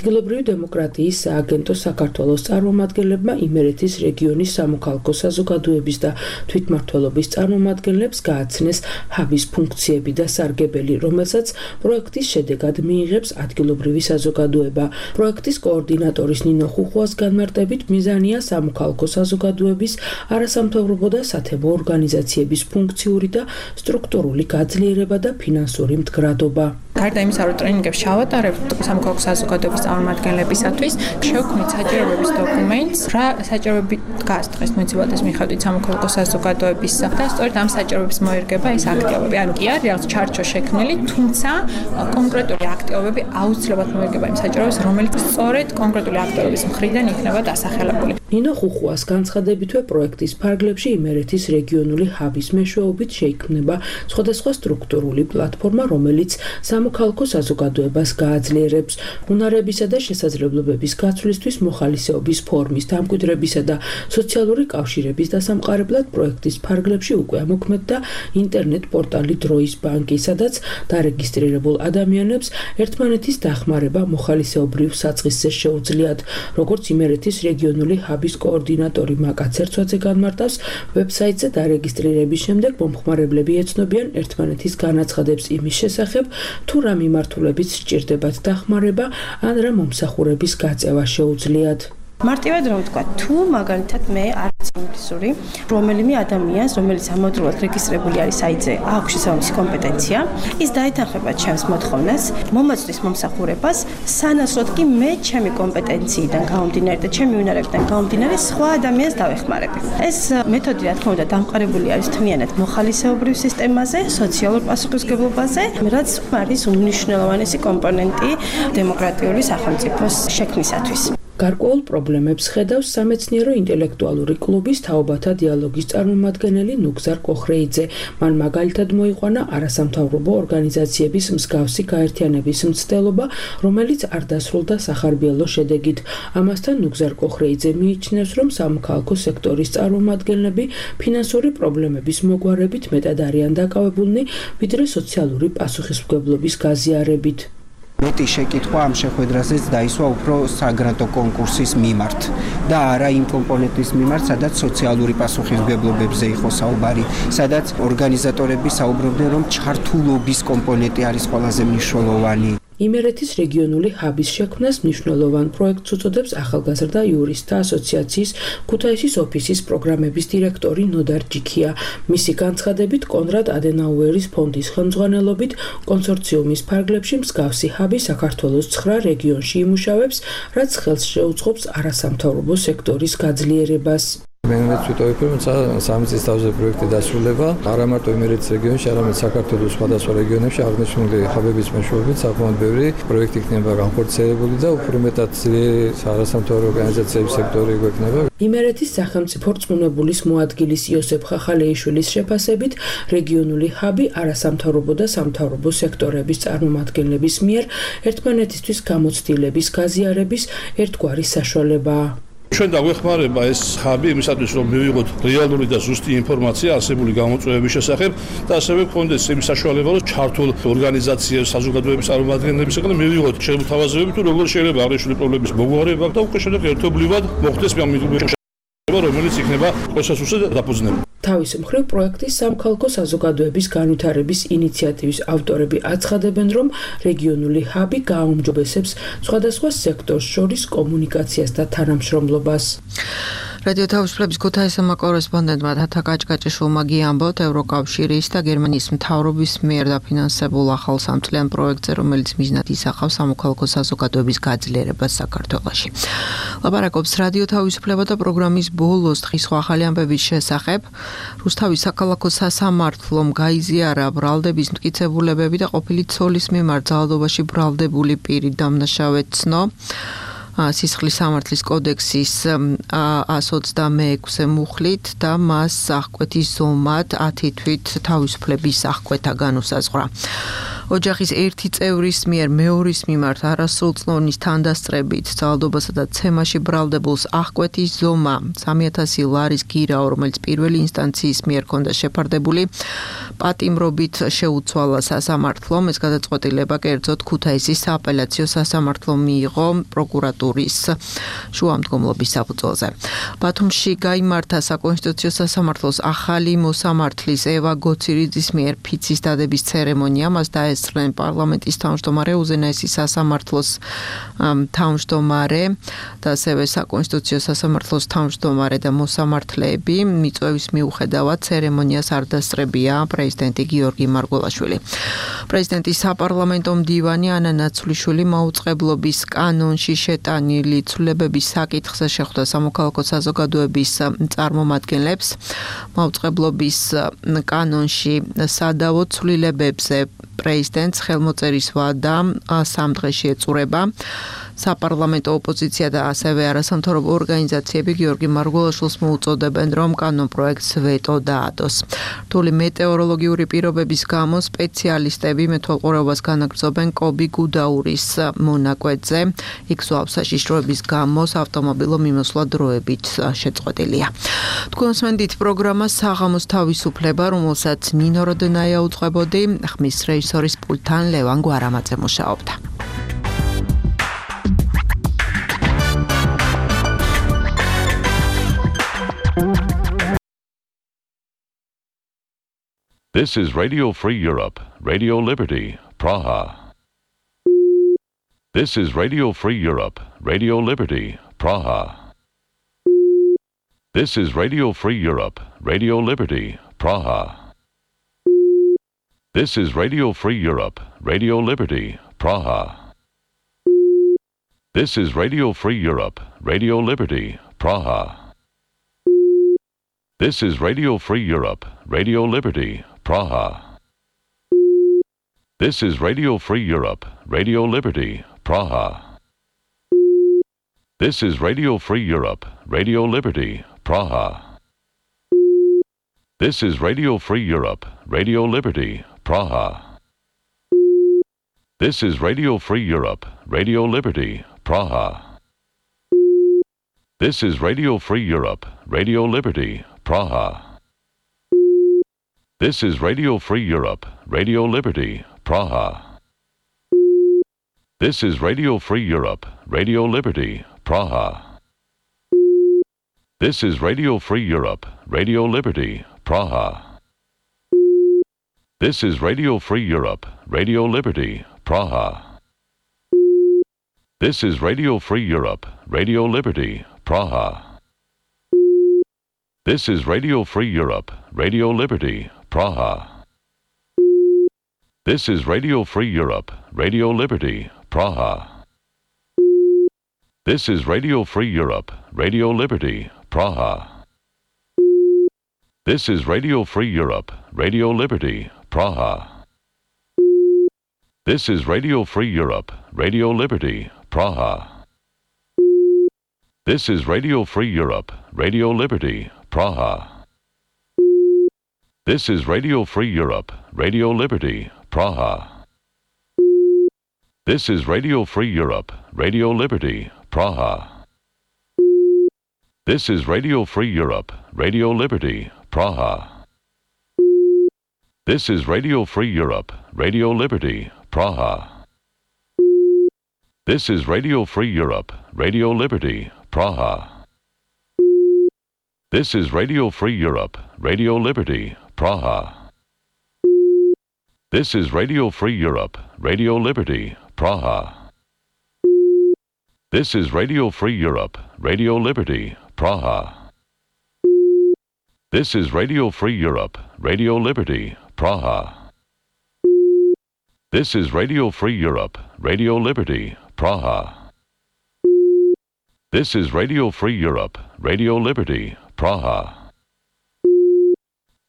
ადგილობრივი დემოკრატიის სააგენტო საქართველოს წარმომადგენლებმა იმერეთის რეგიონის სამოქალაქო საზოგადოების და თვითმმართველობის წარმომადგენლებს გააცნეს ჰაბის ფუნქციები და სარგებელი, რომელსაც პროექტის შედეგად მიიღებს ადგილობრივი საზოგადოება. პროექტის კოორდინატორის ნინო ხუხვას განმარტებით, მიზანია სამოქალაქო საზოგადოების, არასამთავრობო და სათემო ორგანიზაციების ფუნქციური და სტრუქტურული გაძლიერება და ფინანსური მდგრადობა. გარდა იმისა, რომ ტრენინგებს ჩავატარებთ სამოქალაქო საზოგადოების წარმომადგენლებისათვის, შევქმნით საჭიროების დოკუმენტს, რა საჭიროები დგას დღეს მუნიციპალიტეტის მიხედვით სამოქალაქო საზოგადოების და სწორედ ამ საჭიროების მოერგება ეს აქტივობები. ანუ კი არის რაღაც ჩარჩო შექმნილი, თუმცა კონკრეტული აქტივობები აუცილებლად მოერგება იმ საჭიროებას, რომელიც სწორედ კონკრეტული აქტივობის მხრიდან იქნება დასახელებული. ნინო ხუხუას განცხადებითვე პროექტის ფარგლებში იმერეთის რეგიონული ჰაბის მეშვეობით შეიქმნება სხვადასხვა სტრუქტურული პლატფორმა, რომელიც სამოქალაქო საზოგადოებას გააძლიერებს უნარებისა და შესაძლებლობების გაცვლისთვის მოხალისეობის ფორმის დამკვიდრებისა და სოციალური კავშირების დასამყარებლად პროექტის ფარგლებში უკვე ამოქმედდა ინტერნეტ პორტალი დროის ბანკი, სადაც დარეგისტრირებულ ადამიანებს ერთმანეთის დახმარება მოხალისეობრივ საწყისზე შეუძლიათ, როგორც იმერეთის რეგიონული ჰაბის კოორდინატორი მაკა ცერცვაძე განმარტავს, ვებსაიტზე დარეგისტრირების შემდეგ მომხმარებლები ეცნობიან ერთმანეთის განაცხადებს იმის შესახებ, თუ რა მიმართულებით სჭირდებათ დახმარება ან რა მომსახურების გაწევა შეუძლიათ. მარტივად რომ ვთქვა, თუ მაგალითად მე არც ინგლისური, რომელიმე ადამიანს, რომელიც ამავდროულად რეგისტრირებული არის საიტზე, აქვს შესაბამისი კომპეტენცია, ის დაეთანხმება ჩემს მოთხოვნას, მომაწვდის მომსახურებას, სანაცვლოდ კი მე ჩემი კომპეტენციიდან გამომდინარე და ჩემი უნარებიდან გამომდინარე სხვა ადამიანს დავეხმარებ. ეს მეთოდი, რა თქმა უნდა, დამყარებული არის თმიანად მოხალისეობრივ სისტემაზე, სოციალურ პასუხისმგებლობაზე, რაც არის უმნიშვნელოვანესი კომპონენტი დემოკრატიული სახელმწიფოს შექმნისათვის. გარკვეულ პრობლემებს ხედავს სამეცნიერო ინტელექტუალური კლუბის თაობათა დიალოგის წარმომადგენელი ნუგზარ კოხრეიძე. მან მაგალითად მოიყვანა არასამთავრობო ორგანიზაციების მსგავსი გაერთიანების მცდელობა, რომელიც არ დასრულდა სახარბიელო შედეგით. ამასთან ნუგზარ კოხრეიძე მიიჩნევს, რომ სამოქალაქო სექტორის წარმომადგენლები ფინანსური პრობლემების მოგვარებით მეტად არიან დაკავებულნი, ვიდრე სოციალური პასუხისმგებლობის გაზიარებით. მეტი შეკითხვა ამ შეხვედრაზეც დაისვა უფრო საგრანტო კონკურსის მიმართ და არა იმ კომპონენტის მიმართ, სადაც სოციალური პასუხისმგებლობებზე იყო საუბარი, სადაც ორგანიზატორები საუბრობდნენ, რომ ჩართულობის კომპონენტი არის ყველაზე მნიშვნელოვანი. იმერეთის რეგიონული ჰაბის შექმნას მნიშვნელოვან პროექტს უწოდებს ახალგაზრდა იურისტთა ასოციაციის ქუთაისის ოფისის პროგრამების დირექტორი ნოდარ ჯიქია. მისი განცხადებით, კონრად ადენაუერის ფონდის ხელმძღვანელობით კონსორციუმის ფარგლებში მსგავსი ჰაბი საქართველოს 9 რეგიონში იმუშავებს, რაც ხელს შეუწყობს არასამთავრობო სექტორის გაძლიერებას. მე ვიტყვი, რომ სამი წლის თავზე პროექტი დასრულება, არა მარტო იმერეთის რეგიონში, არამედ საქართველოს სხვადასხვა რეგიონებში აღნიშნული ჰაბების მეშვეობით საკმაოდ ბევრი პროექტი იქნება განხორციელებული და უფრო მეტად არასამთავრობო ორგანიზაციების სექტორი გვექნება. იმერეთის სახელმწიფო რწმუნებულის მოადგილის იოსებ ხახალეიშვილის შეფასებით, რეგიონული ჰაბი არასამთავრობო და სამთავრობო სექტორების წარმომადგენლების მიერ ერთმანეთისთვის გამოცდილების გაზიარების ერთგვარი საშუალებაა. ჩვენ დაგვეხმარება ეს ჰაბი იმისათვის, რომ მივიღოთ რეალური და ზუსტი ინფორმაცია არსებული გამოწვევების შესახებ და ასევე გქონდეს იმის საშუალება, რომ ჩართულ ორგანიზაციებს, საზოგადოების წარმომადგენლებისგან მივიღოთ შემოთავაზებები, თუ როგორ შეიძლება აღნიშნული პრობლემის მოგვარება და უკვე შემდეგ ერთობლივად მოხდეს რომელიც იქნება პროცესზე დაფუძნებული. თავის მხრივ პროექტის სამოქალაქო საზოგადოების განვითარების ინიციატივის ავტორები აცხადებენ, რომ რეგიონული ჰაბი გააუმჯობესებს სხვადასხვა სექტორს შორის კომუნიკაციას და თანამშრომლობას. რადიო თავისუფლების ქუთაისმა კორესპონდენტმა თათა კაჭკაჭიშვილმა გიამბოთ ევროკავშირის და გერმანიის მთავრობის მიერ დაფინანსებულ ახალ სამწლიან პროექტზე, რომელიც მიზნად ისახავს სამოქალაქო საზოგადოების გაძლიერებას საქართველოში. ლაპარაკობს რადიო თავისუფლება და პროგრამის ბოლოს დღის ახალი ამბების შესახებ. რუსთავის საქალაქო სასამართლომ გაიზიარა ბრალდების მტკიცებულებები და ყოფილი ცოლის მიმართ ძალადობაში ბრალდებული პირი დამნაშავედ ცნო. სისხლის სამართლის კოდექსის 126 მუხლით და მას აღკვეთის ზომად 10 თვით თავისუფლების აღკვეთა განუსაზღვრა. ოჯახის ერთი წევრის მიერ მეორის მიმართ არასრულწლოვნის თანდასწრებით ძალადობასა და ცემაში ბრალდებულს აღკვეთის ზომა 3000 ლარის გირაო, რომელიც პირველი ინსტანციის მიერ ჰქონდა შეფარდებული, პატიმრობით შეუცვალა სასამართლომ. ეს გადაწყვეტილება კერძოდ ქუთაისის სააპელაციო სასამართლომ მიიღო პროკურატურის შუამდგომლობის საფუძველზე. ბათუმში გაიმართა საკონსტიტუციო სასამართლოს ახალი მოსამართლის ევა გოცირიძის მიერ ფიცის დადების ცერემონია. მას დაესწრნენ პარლამენტის თავმჯდომარე, უზენაესი სასამართლოს თავმჯდომარე და ასევე საკონსტიტუციო სასამართლოს თავმჯდომარე და მოსამართლეები. მიწვევის მიუხედავად ცერემონიას არ დასწრებია პრეზიდენტი გიორგი მარგველაშვილი. პრეზიდენტის საპარლამენტო მდივანი ანა ნაცვლიშვილი მაუწყებლობის კანონში შეტანილი ცვლილებების საკითხზე შეხვდა სამოქალაქო საზოგადოების წარმომადგენლებს. მაუწყებლობის კანონში სადავო ცვლილებებზე პრეზიდენტს ხელმოწერის ვადა 3 დღეში ეწურება. საპარლამენტო ოპოზიცია და ასევე არასამთავრობო ორგანიზაციები გიორგი მარგველაშვილს მოუწოდებენ, რომ კანონპროექტს ვეტო დაადოს. რთული მეტეოროლოგიური პირობების გამო სპეციალისტები მეთვალყურეობას განაგრძობენ კობი გუდაურის მონაკვეთზე. იქ ზღვაოს საშიშროების გამო ავტომობილო მიმოსვლა დროებით შეწყვეტილია. თქვენ უსმენთ პროგრამას საღამოს თავისუფლება, რომელსაც ნინო როდენაია უძღვებოდი, ხმის რეჟისორის პულტთან ლევან გვარამაძე მუშაობდა. This is Radio Free Europe, Radio Liberty, Praha. This is Radio Free Europe, Radio Liberty, Praha. This is Radio Free Europe, Radio Liberty, Praha. This is Radio Free Europe, Radio Liberty, Praha. This is Radio Free Europe, Radio Liberty, Praha. This is Radio Free Europe, Radio Liberty, Praha. This is Radio Free Europe, Radio Liberty, Praha. This is Radio Free Europe, Radio Liberty, Praha. This is Radio Free Europe, Radio Liberty, Praha. This is Radio Free Europe, Radio Liberty, Praha. This is Radio Free Europe, Radio Liberty, Praha. This is Radio Free Europe, Radio Liberty, Praha. This is Radio Free Europe, Radio Liberty, Praha. This is Radio Free Europe, Radio Liberty, Praha. This is Radio Free Europe, Radio Liberty, Praha. This is Radio Free Europe, Radio Liberty, Praha. This is Radio Free Europe, Radio Liberty, Praha. This is Radio Free Europe, Radio Liberty, Praha. This is Radio Free Europe, Radio Liberty, Praha. This is Radio Free Europe, Radio Liberty, Praha. This is Radio Free Europe, Radio Liberty, Praha. This is Radio Free Europe, Radio Liberty, Praha. This is Radio Free Europe, Radio Liberty, Praha. This is Radio Free Europe, Radio Liberty, Praha. This is Radio Free Europe, Radio Liberty, Praha. This is Radio Free Europe, Radio Liberty, Praha. This is Radio Free Europe, Radio Liberty, Praha. This is Radio Free Europe, Radio Liberty, Praha. This is Radio Free Europe, Radio Liberty, Praha. This is Radio Free Europe, Radio Liberty, Praha. This is Radio Free Europe, Radio Liberty, Praha. This is Radio Free Europe, Radio Liberty, Praha.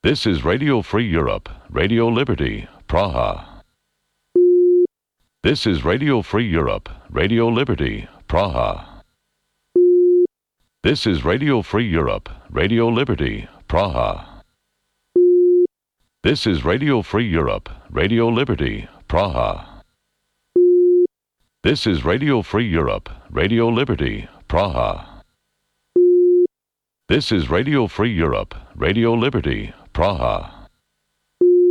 This is Radio Free Europe, Radio Liberty, Praha. This is Radio Free Europe, Radio Liberty, Praha. This is Radio Free Europe, Radio Liberty, Praha. This is Radio Free Europe, Radio Liberty, Praha. This is Radio Free Europe, Radio Liberty, Praha. This is Radio Free Europe, Radio Liberty, Praha. This is Radio Free Europe, Radio Liberty, Praha.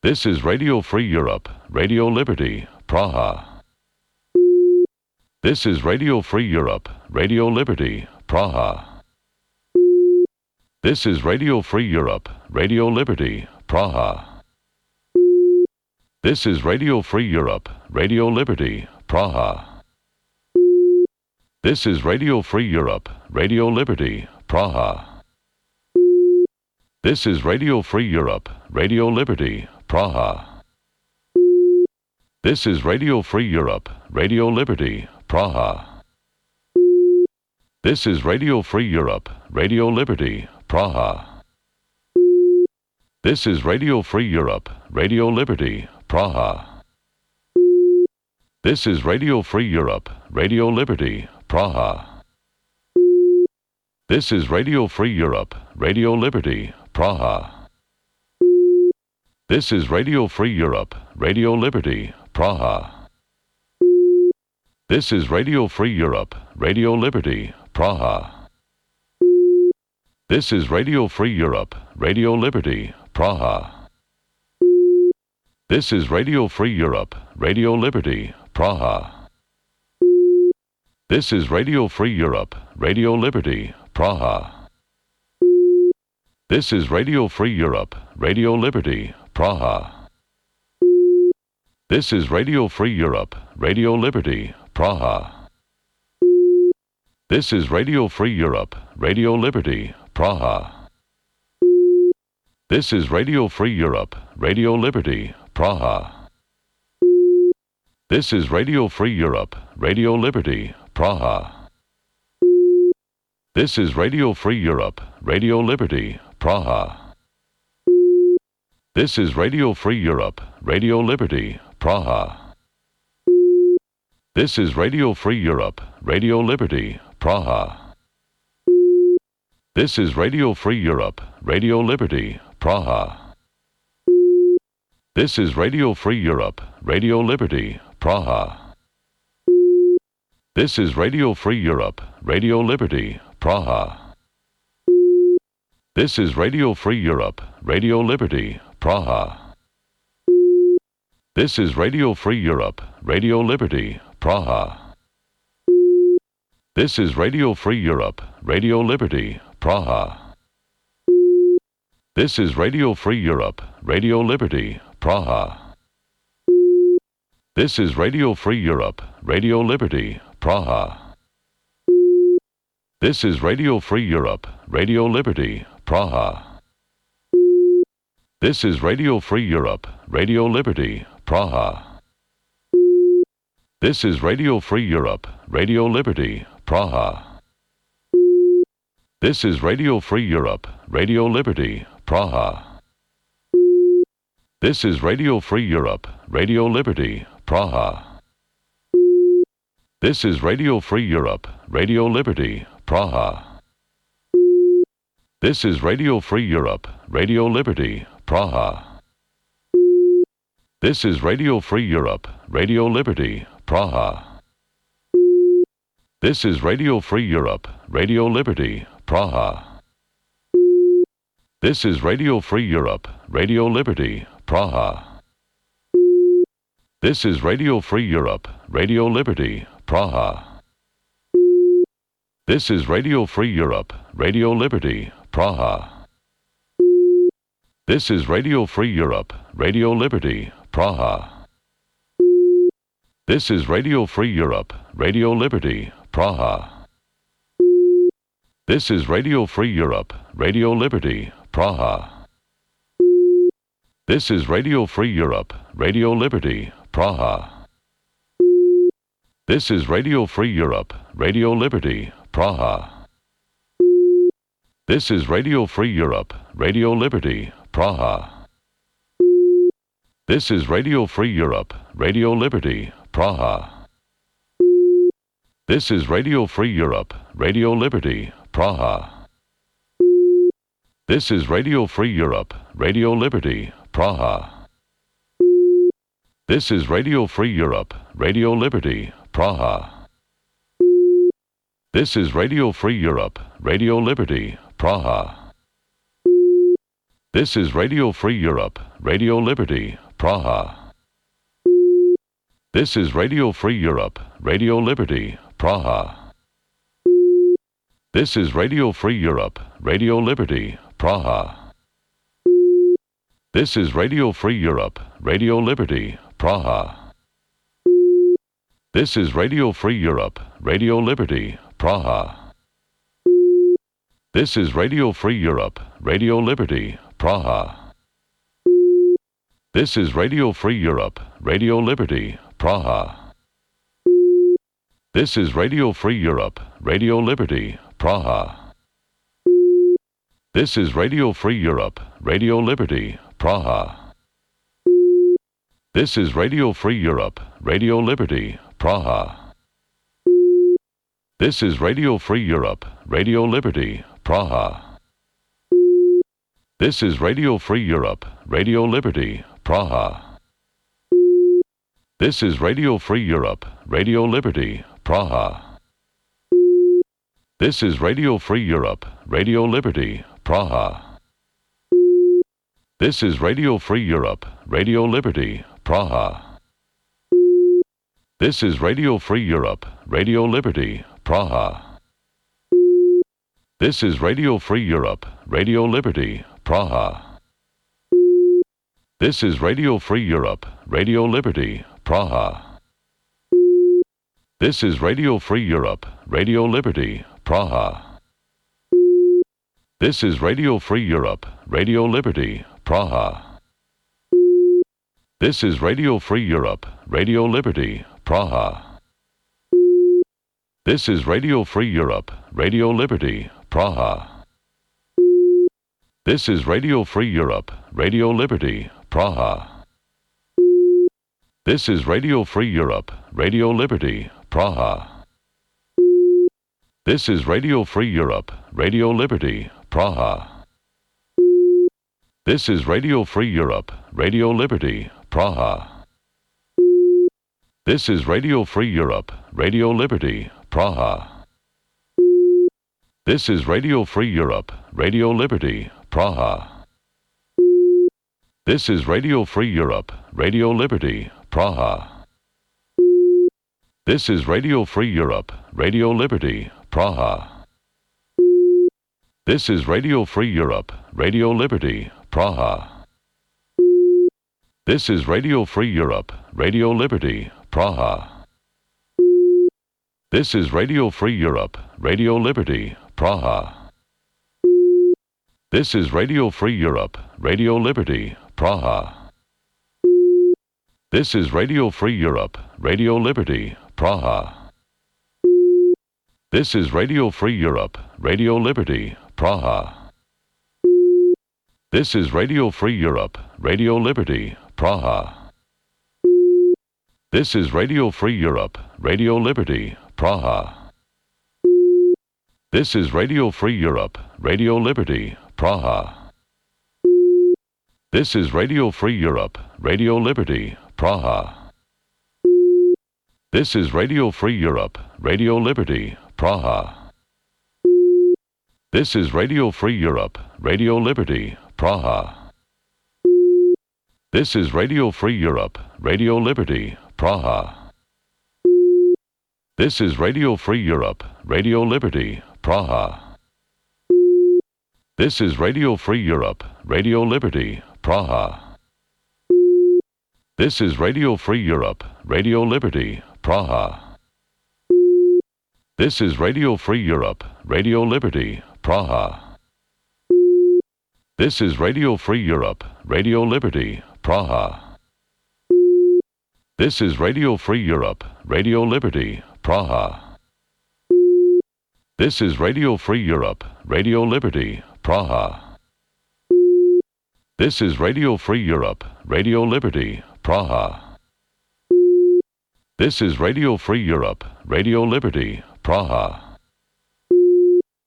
This is Radio Free Europe, Radio Liberty, Praha. This is Radio Free Europe, Radio Liberty, Praha. This is Radio Free Europe, Radio Liberty, Praha. This is Radio Free Europe, Radio Liberty, Praha. This is Radio Free Europe, Radio Liberty, Praha. This is Radio Free Europe, Radio Liberty, Praha. This is Radio Free Europe, Radio Liberty, Praha. This is Radio Free Europe, Radio Liberty, Praha. This is Radio Free Europe, Radio Liberty, Praha. This is Radio Free Europe, Radio Liberty, Praha. This is Radio Free Europe, Radio Liberty, Praha. This is Radio Free Europe, Radio Liberty, Praha. This is Radio Free Europe, Radio Liberty, Praha. This is Radio Free Europe, Radio Liberty, Praha. This is Radio Free Europe, Radio Liberty, Praha. This is Radio Free Europe, Radio Liberty, Praha. This is Radio Free Europe, Radio Liberty, Praha. This is Radio Free Europe, Radio Liberty, Praha. This is Radio Free Europe, Radio Liberty, Praha. This is Radio Free Europe, Radio Liberty, Praha. This is Radio Free Europe, Radio Liberty, Praha. This is Radio Free Europe, Radio Liberty, Praha. This is Radio Free Europe, Radio Liberty, Praha. This is Radio Free Europe, Radio Liberty, Praha. This is Radio Free Europe, Radio Liberty, Praha. This is Radio Free Europe, Radio Liberty, Praha. This is Radio Free Europe, Radio Liberty, Praha. This is Radio Free Europe, Radio Liberty, Praha. This is Radio Free Europe, Radio Liberty, Praha. This is Radio Free Europe, Radio Liberty, Praha. This is Radio Free Europe, Radio Liberty, Praha. This is Radio Free Europe, Radio Liberty, Praha. This is Radio Free Europe, Radio Liberty, Praha. This is Radio Free Europe, Radio Liberty, Praha. This is Radio Free Europe, Radio Liberty, Praha. This is Radio Free Europe, Radio Liberty, Praha. This is Radio Free Europe, Radio Liberty, Praha. This is Radio Free Europe, Radio Liberty, Praha. This is Radio Free Europe, Radio Liberty, Praha. This is Radio Free Europe, Radio Liberty, Praha. This is Radio Free Europe, Radio Liberty, Praha. This is Radio Free Europe, Radio Liberty, Praha. This is Radio Free Europe, Radio Liberty, Praha. This is Radio Free Europe, Radio Liberty, Praha. This is Radio Free Europe, Radio Liberty, Praha. This is Radio Free Europe, Radio Liberty, Praha. This is Radio Free Europe, Radio Liberty, Praha. This is Radio Free Europe, Radio Liberty, Praha. This is Radio Free Europe, Radio Liberty, Praha. This is Radio Free Europe, Radio Liberty, Praha. This is Radio Free Europe, Radio Liberty, Praha. This is Radio Free Europe, Radio Liberty, Praha. This is Radio Free Europe, Radio Liberty, Praha. This is Radio Free Europe, Radio Liberty, Praha. This is Radio Free Europe, Radio Liberty, Praha. This is Radio Free Europe, Radio Liberty, Praha. This is Radio Free Europe, Radio Liberty, Praha. This is Radio Free Europe, Radio Liberty, Praha. This is Radio Free Europe, Radio Liberty, Praha. This is Radio Free Europe, Radio Liberty, Praha. This is Radio Free Europe, Radio Liberty, Praha. This is Radio Free Europe, Radio Liberty, Praha. This is Radio Free Europe, Radio Liberty, Praha. This is Radio Free Europe, Radio Liberty, Praha. This is Radio Free Europe, Radio Liberty, Praha. This is Radio Free Europe, Radio Liberty, Praha. This is Radio Free Europe, Radio Liberty, Praha. This is Radio Free Europe, Radio Liberty, Praha. This is Radio Free Europe, Radio Liberty, Praha. This is Radio Free Europe, Radio Liberty, Praha. This is Radio Free Europe, Radio Liberty, Praha. This is Radio Free Europe, Radio Liberty, Praha. This is Radio Free Europe, Radio Liberty, Praha. This is Radio Free Europe, Radio Liberty, Praha. This is Radio Free Europe, Radio Liberty, Praha. This is Radio Free Europe, Radio Liberty, Praha. This is Radio Free Europe, Radio Liberty, Praha. This is Radio Free Europe, Radio Liberty, Praha. This is Radio Free Europe, Radio Liberty, Praha. This is Radio Free Europe, Radio Liberty, Praha. This is Radio Free Europe, Radio Liberty, Praha. This is Radio Free Europe, Radio Liberty, Praha. This is Radio Free Europe, Radio Liberty, Praha. This is Radio Free Europe, Radio Liberty, Praha. This is Radio Free Europe, Radio Liberty, Praha. This is Radio Free Europe, Radio Liberty, Praha. This is Radio Free Europe, Radio Liberty, Praha. This is Radio Free Europe, Radio Liberty, Praha. This is Radio Free Europe, Radio Liberty, Praha. This is Radio Free Europe, Radio Liberty, Praha. This is Radio Free Europe, Radio Liberty, Praha. This is Radio Free Europe, Radio Liberty, Praha. This is Radio Free Europe, Radio Liberty, Praha. This is Radio Free Europe, Radio Liberty, Praha. This is Radio Free Europe, Radio Liberty, Praha. This is Radio Free Europe, Radio Liberty, Praha. This is Radio Free Europe, Radio Liberty, Praha. This is Radio Free Europe, Radio Liberty, Praha. This is Radio Free Europe, Radio Liberty, Praha. This is Radio Free Europe, Radio Liberty, Praha. This is Radio Free Europe, Radio Liberty, Praha. This is Radio Free Europe, Radio Liberty, Praha. This is Radio Free Europe, Radio Liberty, Praha. This is Radio Free Europe, Radio Liberty, Praha. This is Radio Free Europe, Radio Liberty, Praha. This is Radio Free Europe, Radio Liberty, Praha. This is Radio Free Europe, Radio Liberty, Praha.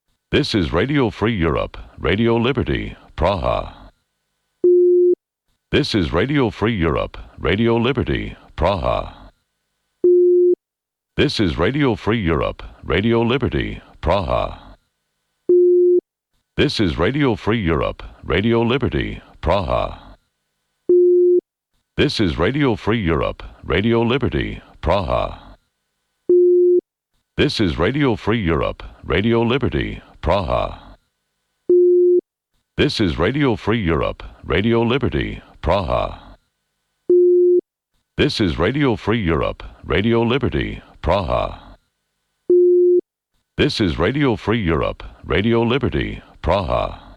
This is Radio Free Europe, Radio Liberty, Praha. This is Radio Free Europe, Radio Liberty, Praha. This is Radio Free Europe, Radio Liberty, Praha. This is Radio Free Europe, Radio Liberty, Praha. This is Radio Free Europe, Radio Liberty, Praha. This is Radio Free Europe, Radio Liberty, Praha. This is Radio Free Europe, Radio Liberty, Praha. This is Radio Free Europe, Radio Liberty, Praha. This is Radio Free Europe, Radio Liberty, Praha.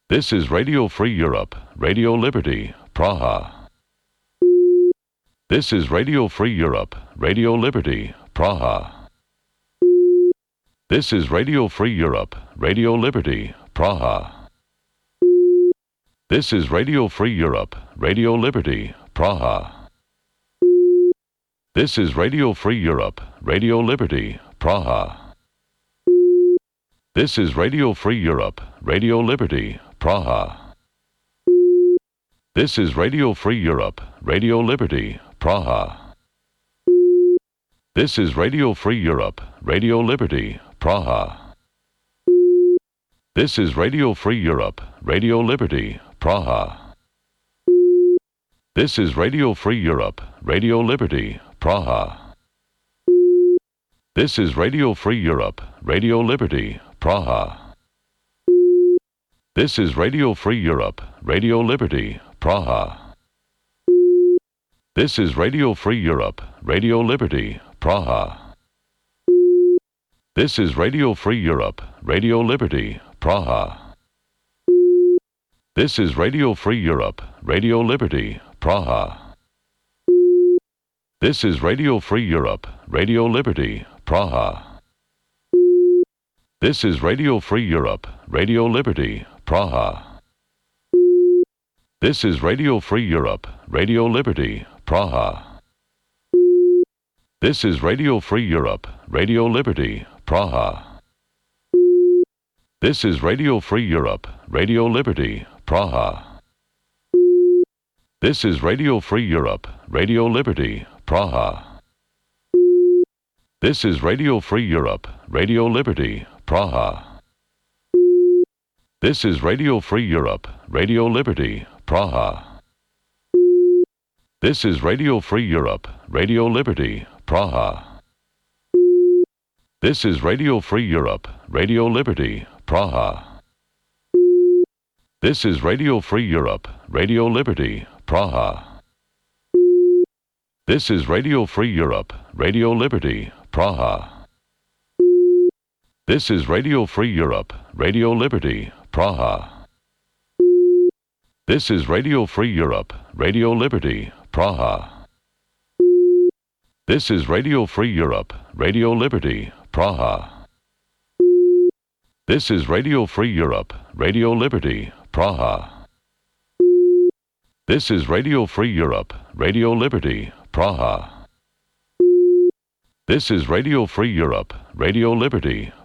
This is Radio Free Europe, Radio Liberty, Praha. This is Radio Free Europe, Radio Liberty, Praha. This is Radio Free Europe, Radio Liberty, Praha. This is Radio Free Europe, Radio Liberty, Praha. This is Radio Free Europe, Radio Liberty, Praha. This is Radio Free Europe, Radio Liberty, Praha. This is Radio Free Europe, Radio Liberty, Praha. This is Radio Free Europe, Radio Liberty, Praha. This is Radio Free Europe, Radio Liberty, Praha. This is Radio Free Europe, Radio Liberty, Praha. This is Radio Free Europe, Radio Liberty, Praha. This is Radio Free Europe, Radio Liberty, Praha. This is Radio Free Europe, Radio Liberty, Praha. This is Radio Free Europe, Radio Liberty, Praha. This is Radio Free Europe, Radio Liberty, Praha. This is Radio Free Europe, Radio Liberty, Praha. This is Radio Free Europe, Radio Liberty, Praha. This is Radio Free Europe, Radio Liberty, Praha. This is Radio Free Europe, Radio Liberty, Praha. This is Radio Free Europe, Radio Liberty, Praha. This is Radio Free Europe, Radio Liberty, Praha. This is Radio Free Europe, Radio Liberty, Praha. This is Radio Free Europe, Radio Liberty, Praha. This is Radio Free Europe, Radio Liberty, Praha. This is Radio Free Europe, Radio Liberty, Praha. This is Radio Free Europe, Radio Liberty, Praha. This is Radio Free Europe, Radio Liberty, Praha. This is Radio Free Europe, Radio Liberty, Praha. This is Radio Free Europe, Radio Liberty, Praha. This is Radio Free Europe, Radio Liberty, Praha. This is Radio Free Europe, Radio Liberty, Praha. This is Radio Free Europe, Radio Liberty,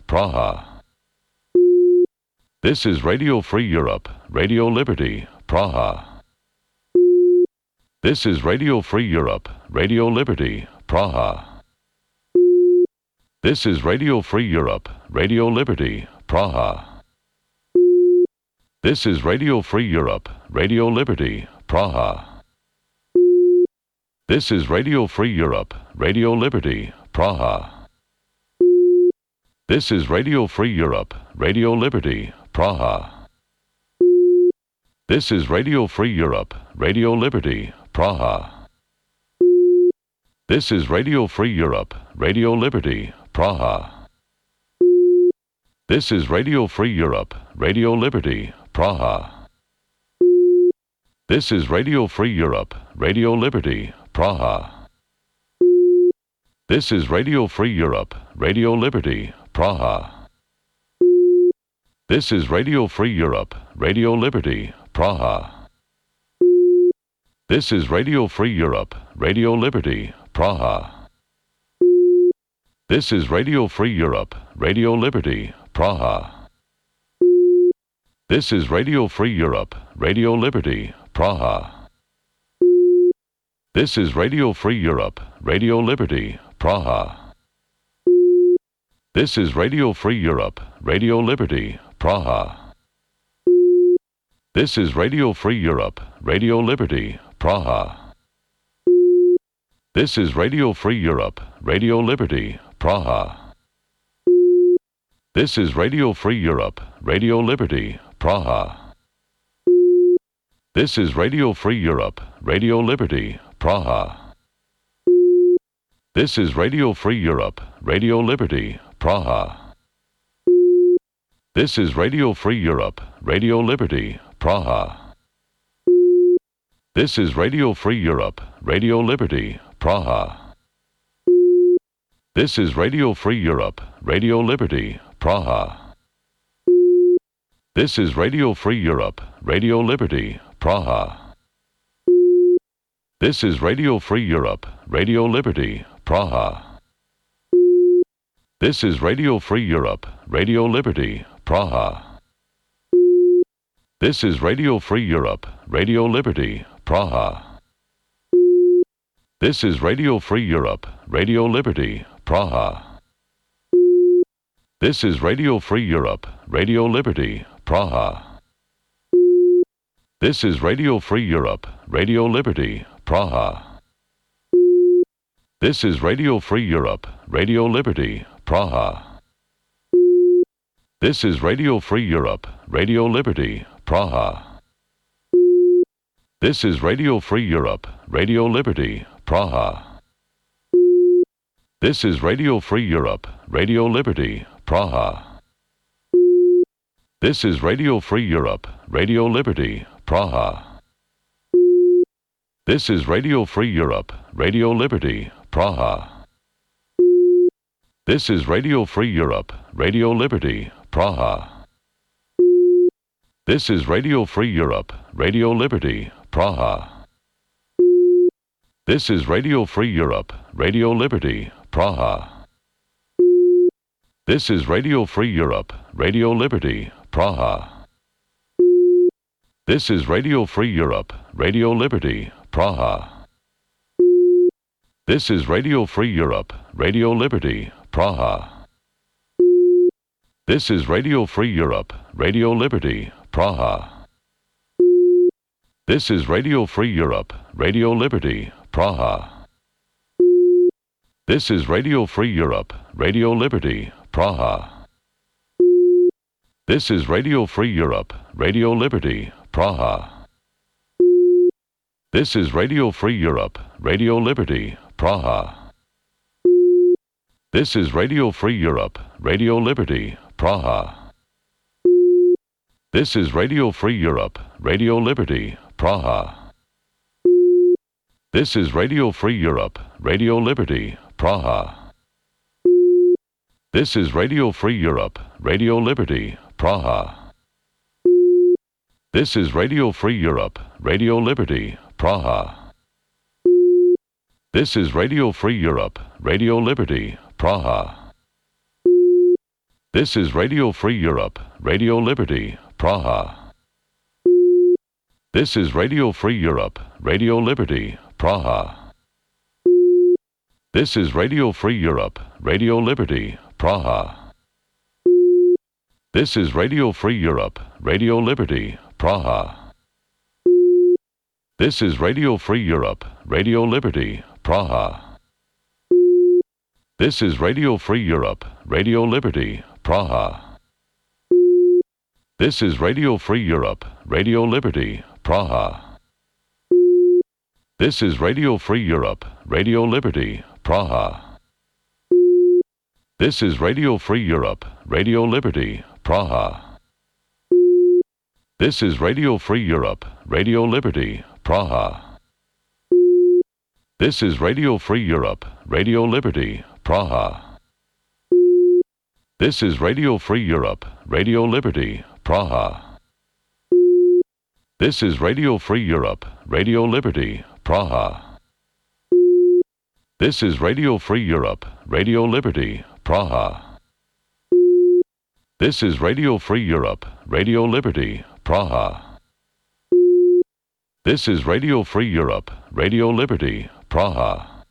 Praha. This is Radio Free Europe, Radio Liberty, Praha. This is Radio Free Europe, Radio Liberty, Praha. This is Radio Free Europe, Radio Liberty, Praha. This is Radio Free Europe, Radio Liberty, Praha. This is Radio Free Europe, Radio Liberty, Praha. This is Radio Free Europe, Radio Liberty, Praha. This is Radio Free Europe, Radio Liberty, Praha. This is Radio Free Europe, Radio Liberty, Praha. This is Radio Free Europe, Radio Liberty, Praha. This is Radio Free Europe, Radio Liberty, Praha. This is Radio Free Europe, Radio Liberty, Praha. This is Radio Free Europe, Radio Liberty, Praha. This is Radio Free Europe, Radio Liberty, Praha. This is Radio Free Europe, Radio Liberty, Praha. This is Radio Free Europe, Radio Liberty, Praha. This is Radio Free Europe, Radio Liberty, Praha. This is Radio Free Europe, Radio Liberty, Praha. This is Radio Free Europe, Radio Liberty, Praha. This is Radio Free Europe, Radio Liberty, Praha. This is Radio Free Europe, Radio Liberty, Praha. This is Radio Free Europe, Radio Liberty, Praha. This is Radio Free Europe, Radio Liberty, Praha. This is Radio Free Europe, Radio Liberty, Praha. This is Radio Free Europe, Radio Liberty, Praha. This is Radio Free Europe, Radio Liberty, Praha. This is Radio Free Europe, Radio Liberty, Praha. This is Radio Free Europe, Radio Liberty, Praha. This is Radio Free Europe, Radio Liberty, Praha. This is Radio Free Europe, Radio Liberty, Praha. This is Radio Free Europe, Radio Liberty, Praha. This is Radio Free Europe, Radio Liberty, Praha. This is Radio Free Europe, Radio Liberty, Praha. This is Radio Free Europe, Radio Liberty, Praha. This is Radio Free Europe, Radio Liberty, Praha. This is Radio Free Europe, Radio Liberty, Praha. This is Radio Free Europe, Radio Liberty, Praha. This is Radio Free Europe, Radio Liberty, Praha. This is Radio Free Europe, Radio Liberty, Praha. This is Radio Free Europe, Radio Liberty, Praha. This is Radio Free Europe, Radio Liberty, Praha. This is Radio Free Europe, Radio Liberty, Praha. This is Radio Free Europe, Radio Liberty, Praha. This is Radio Free Europe, Radio Liberty, Praha. This is Radio Free Europe, Radio Liberty, Praha. This is Radio Free Europe, Radio Liberty, Praha. This is Radio Free Europe, Radio Liberty, Praha. This is Radio Free Europe, Radio Liberty, Praha. This is Radio Free Europe, Radio Liberty, Praha. This is Radio Free Europe, Radio Liberty, Praha. This is Radio Free Europe, Radio Liberty, Praha. This is Radio Free Europe, Radio Liberty, Praha. This is Radio Free Europe, Radio Liberty, Praha. This is Radio Free Europe, Radio Liberty, Praha. This is Radio Free Europe, Radio Liberty, Praha. This is Radio Free Europe, Radio Liberty, Praha. This is Radio Free Europe, Radio Liberty, Praha. This is Radio Free Europe, Radio Liberty, Praha. This is Radio Free Europe, Radio Liberty, Praha. This is Radio Free Europe, Radio Liberty, Praha. This is Radio Free Europe, Radio Liberty, Praha. This is Radio Free Europe, Radio Liberty, Praha. This is Radio Free Europe, Radio Liberty, Praha. This is Radio Free Europe, Radio Liberty, Praha. This is Radio Free Europe, Radio Liberty, Praha. This is Radio Free Europe, Radio Liberty, Praha. This is Radio Free Europe, Radio Liberty, Praha. This is Radio Free Europe, Radio Liberty, Praha. This is Radio Free Europe, Radio Liberty, Praha. This is Radio Free Europe, Radio Liberty, Praha. This is Radio Free Europe, Radio Liberty, Praha. This is Radio Free Europe, Radio Liberty, Praha.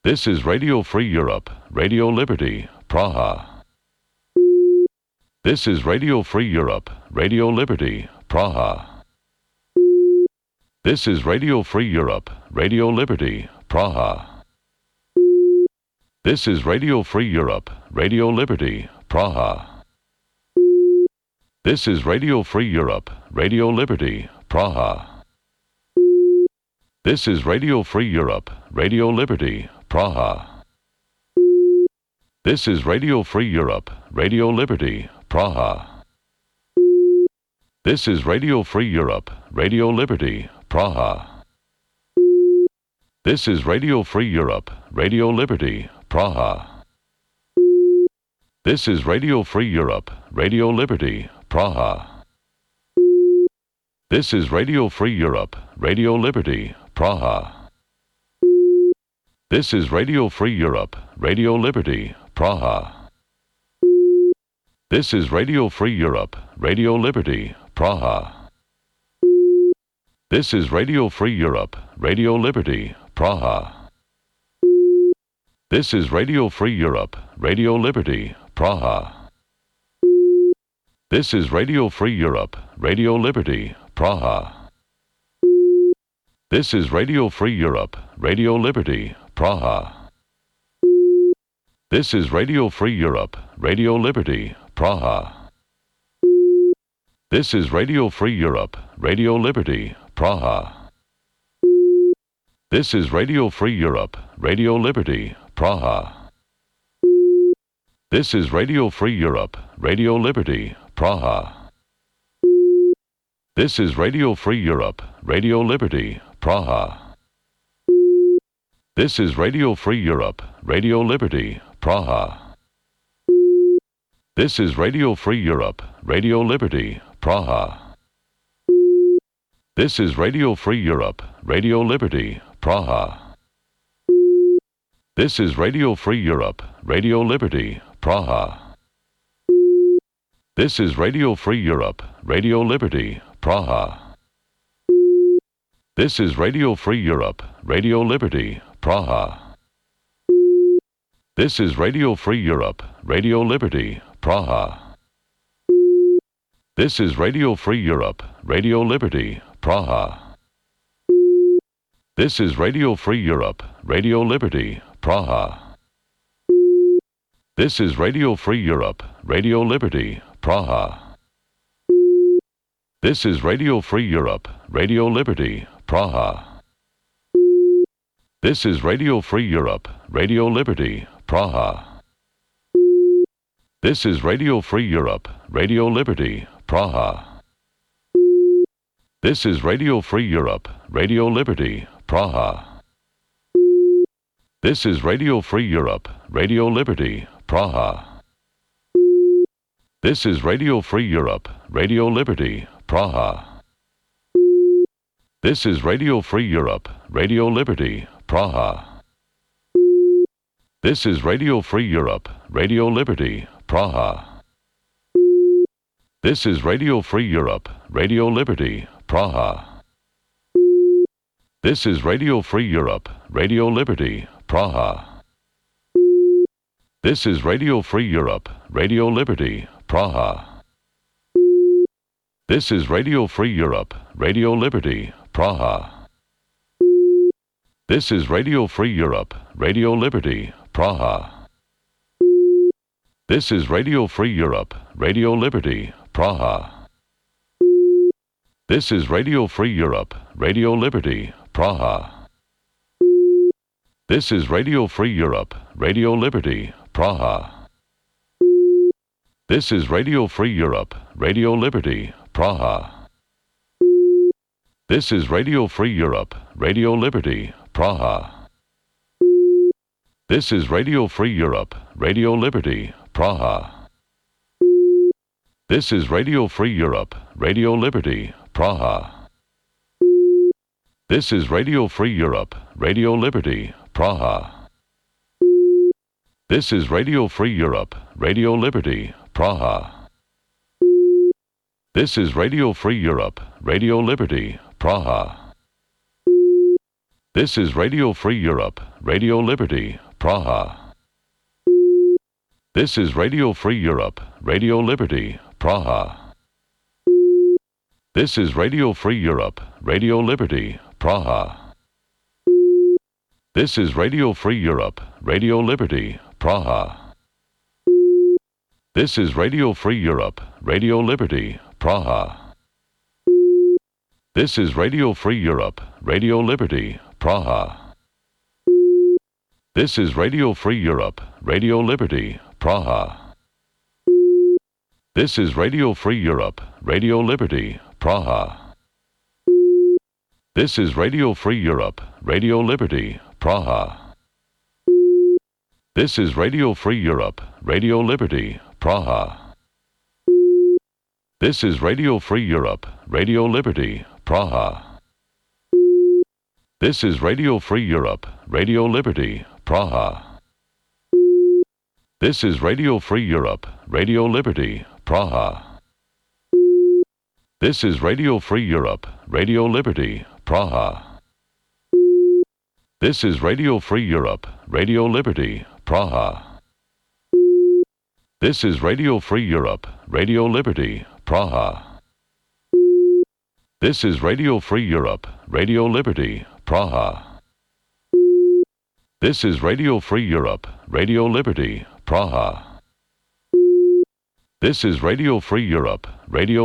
This is Radio Free Europe, Radio Liberty, Praha. This is Radio Free Europe, Radio Liberty, Praha. This is Radio Free Europe, Radio Liberty, Praha. This is Radio Free Europe, Radio Liberty, Praha. This is Radio Free Europe, Radio Liberty, Praha. This is Radio Free Europe, Radio Liberty, Praha. This is Radio Free Europe, Radio Liberty, Praha. This is Radio Free Europe, Radio Liberty, Praha. This is Radio Free Europe, Radio Liberty, Praha. This is Radio Free Europe, Radio Liberty, Praha. This is Radio Free Europe, Radio Liberty, Praha. This is Radio Free Europe, Radio Liberty, Praha. This is Radio Free Europe, Radio Liberty, Praha. This is Radio Free Europe, Radio Liberty, Praha. This is Radio Free Europe, Radio Liberty, Praha. This is Radio Free Europe, Radio Liberty, Praha. This is Radio Free Europe, Radio Liberty, Praha. This is Radio Free Europe, Radio Liberty, Praha. This is Radio Free Europe, Radio Liberty, Praha. This is Radio Free Europe, Radio Liberty, Praha. This is Radio Free Europe, Radio Liberty, Praha. This is Radio Free Europe, Radio Liberty, Praha. This is Radio Free Europe, Radio Liberty, Praha. This is Radio Free Europe, Radio Liberty, Praha. This is Radio Free Europe, Radio Liberty, Praha. This is Radio Free Europe, Radio Liberty, Praha. This is Radio Free Europe, Radio Liberty, Praha. This is Radio Free Europe, Radio Liberty, Praha. This is Radio Free Europe, Radio Liberty, Praha. This is Radio Free Europe, Radio Liberty, Praha. This is Radio Free Europe, Radio Liberty, Praha. This is Radio Free Europe, Radio Liberty, Praha. This is Radio Free Europe, Radio Liberty, Praha. This is Radio Free Europe, Radio Liberty, Praha. This is Radio Free Europe, Radio Liberty, Praha. This is Radio Free Europe, Radio Liberty, Praha. This is Radio Free Europe, Radio Liberty, Praha. This is Radio Free Europe, Radio Liberty, Praha. This is Radio Free Europe, Radio Liberty, Praha. This is Radio Free Europe, Radio Liberty, Praha. This is Radio Free Europe, Radio Liberty, Praha. This is Radio Free Europe, Radio Liberty, Praha. This is Radio Free Europe, Radio Liberty, Praha. This is Radio Free Europe, Radio Liberty, Praha. This is Radio Free Europe, Radio Liberty, Praha. This is Radio Free Europe, Radio Liberty, Praha. This is Radio Free Europe, Radio Liberty, Praha. This is Radio Free Europe, Radio Liberty, Praha. This is Radio Free Europe, Radio Liberty, Praha. This is Radio Free Europe, Radio Liberty, Praha. This is Radio Free Europe, Radio Liberty, Praha. This is Radio Free Europe, Radio Liberty, Praha. This is Radio Free Europe, Radio Liberty, Praha. This is Radio Free Europe, Radio Liberty, Praha. This is Radio Free Europe, Radio Liberty, Praha. This is Radio Free Europe, Radio Liberty, Praha. This is Radio Free Europe, Radio Liberty, Praha. This is Radio Free Europe, Radio Liberty, Praha. This is Radio Free Europe, Radio Liberty, Praha. This is Radio Free Europe, Radio Liberty, Praha. This is Radio Free Europe, Radio Liberty, Praha. This is Radio Free Europe, Radio Liberty, Praha. This is Radio Free Europe, Radio Liberty, Praha. This is Radio Free Europe, Radio Liberty, Praha. This is Radio Free Europe, Radio Liberty, Praha. This is Radio Free Europe, Radio Liberty, Praha. This is Radio Free Europe, Radio Liberty, Praha. This is Radio Free Europe, Radio Liberty, Praha. This is Radio Free Europe, Radio Liberty, Praha. This is Radio Free Europe, Radio Liberty, Praha. This is Radio Free Europe, Radio Liberty, Praha. This is Radio Free Europe, Radio Liberty, Praha. This is Radio Free Europe, Radio Liberty, Praha. This is Radio Free Europe, Radio Liberty, Praha. This is Radio Free Europe, Radio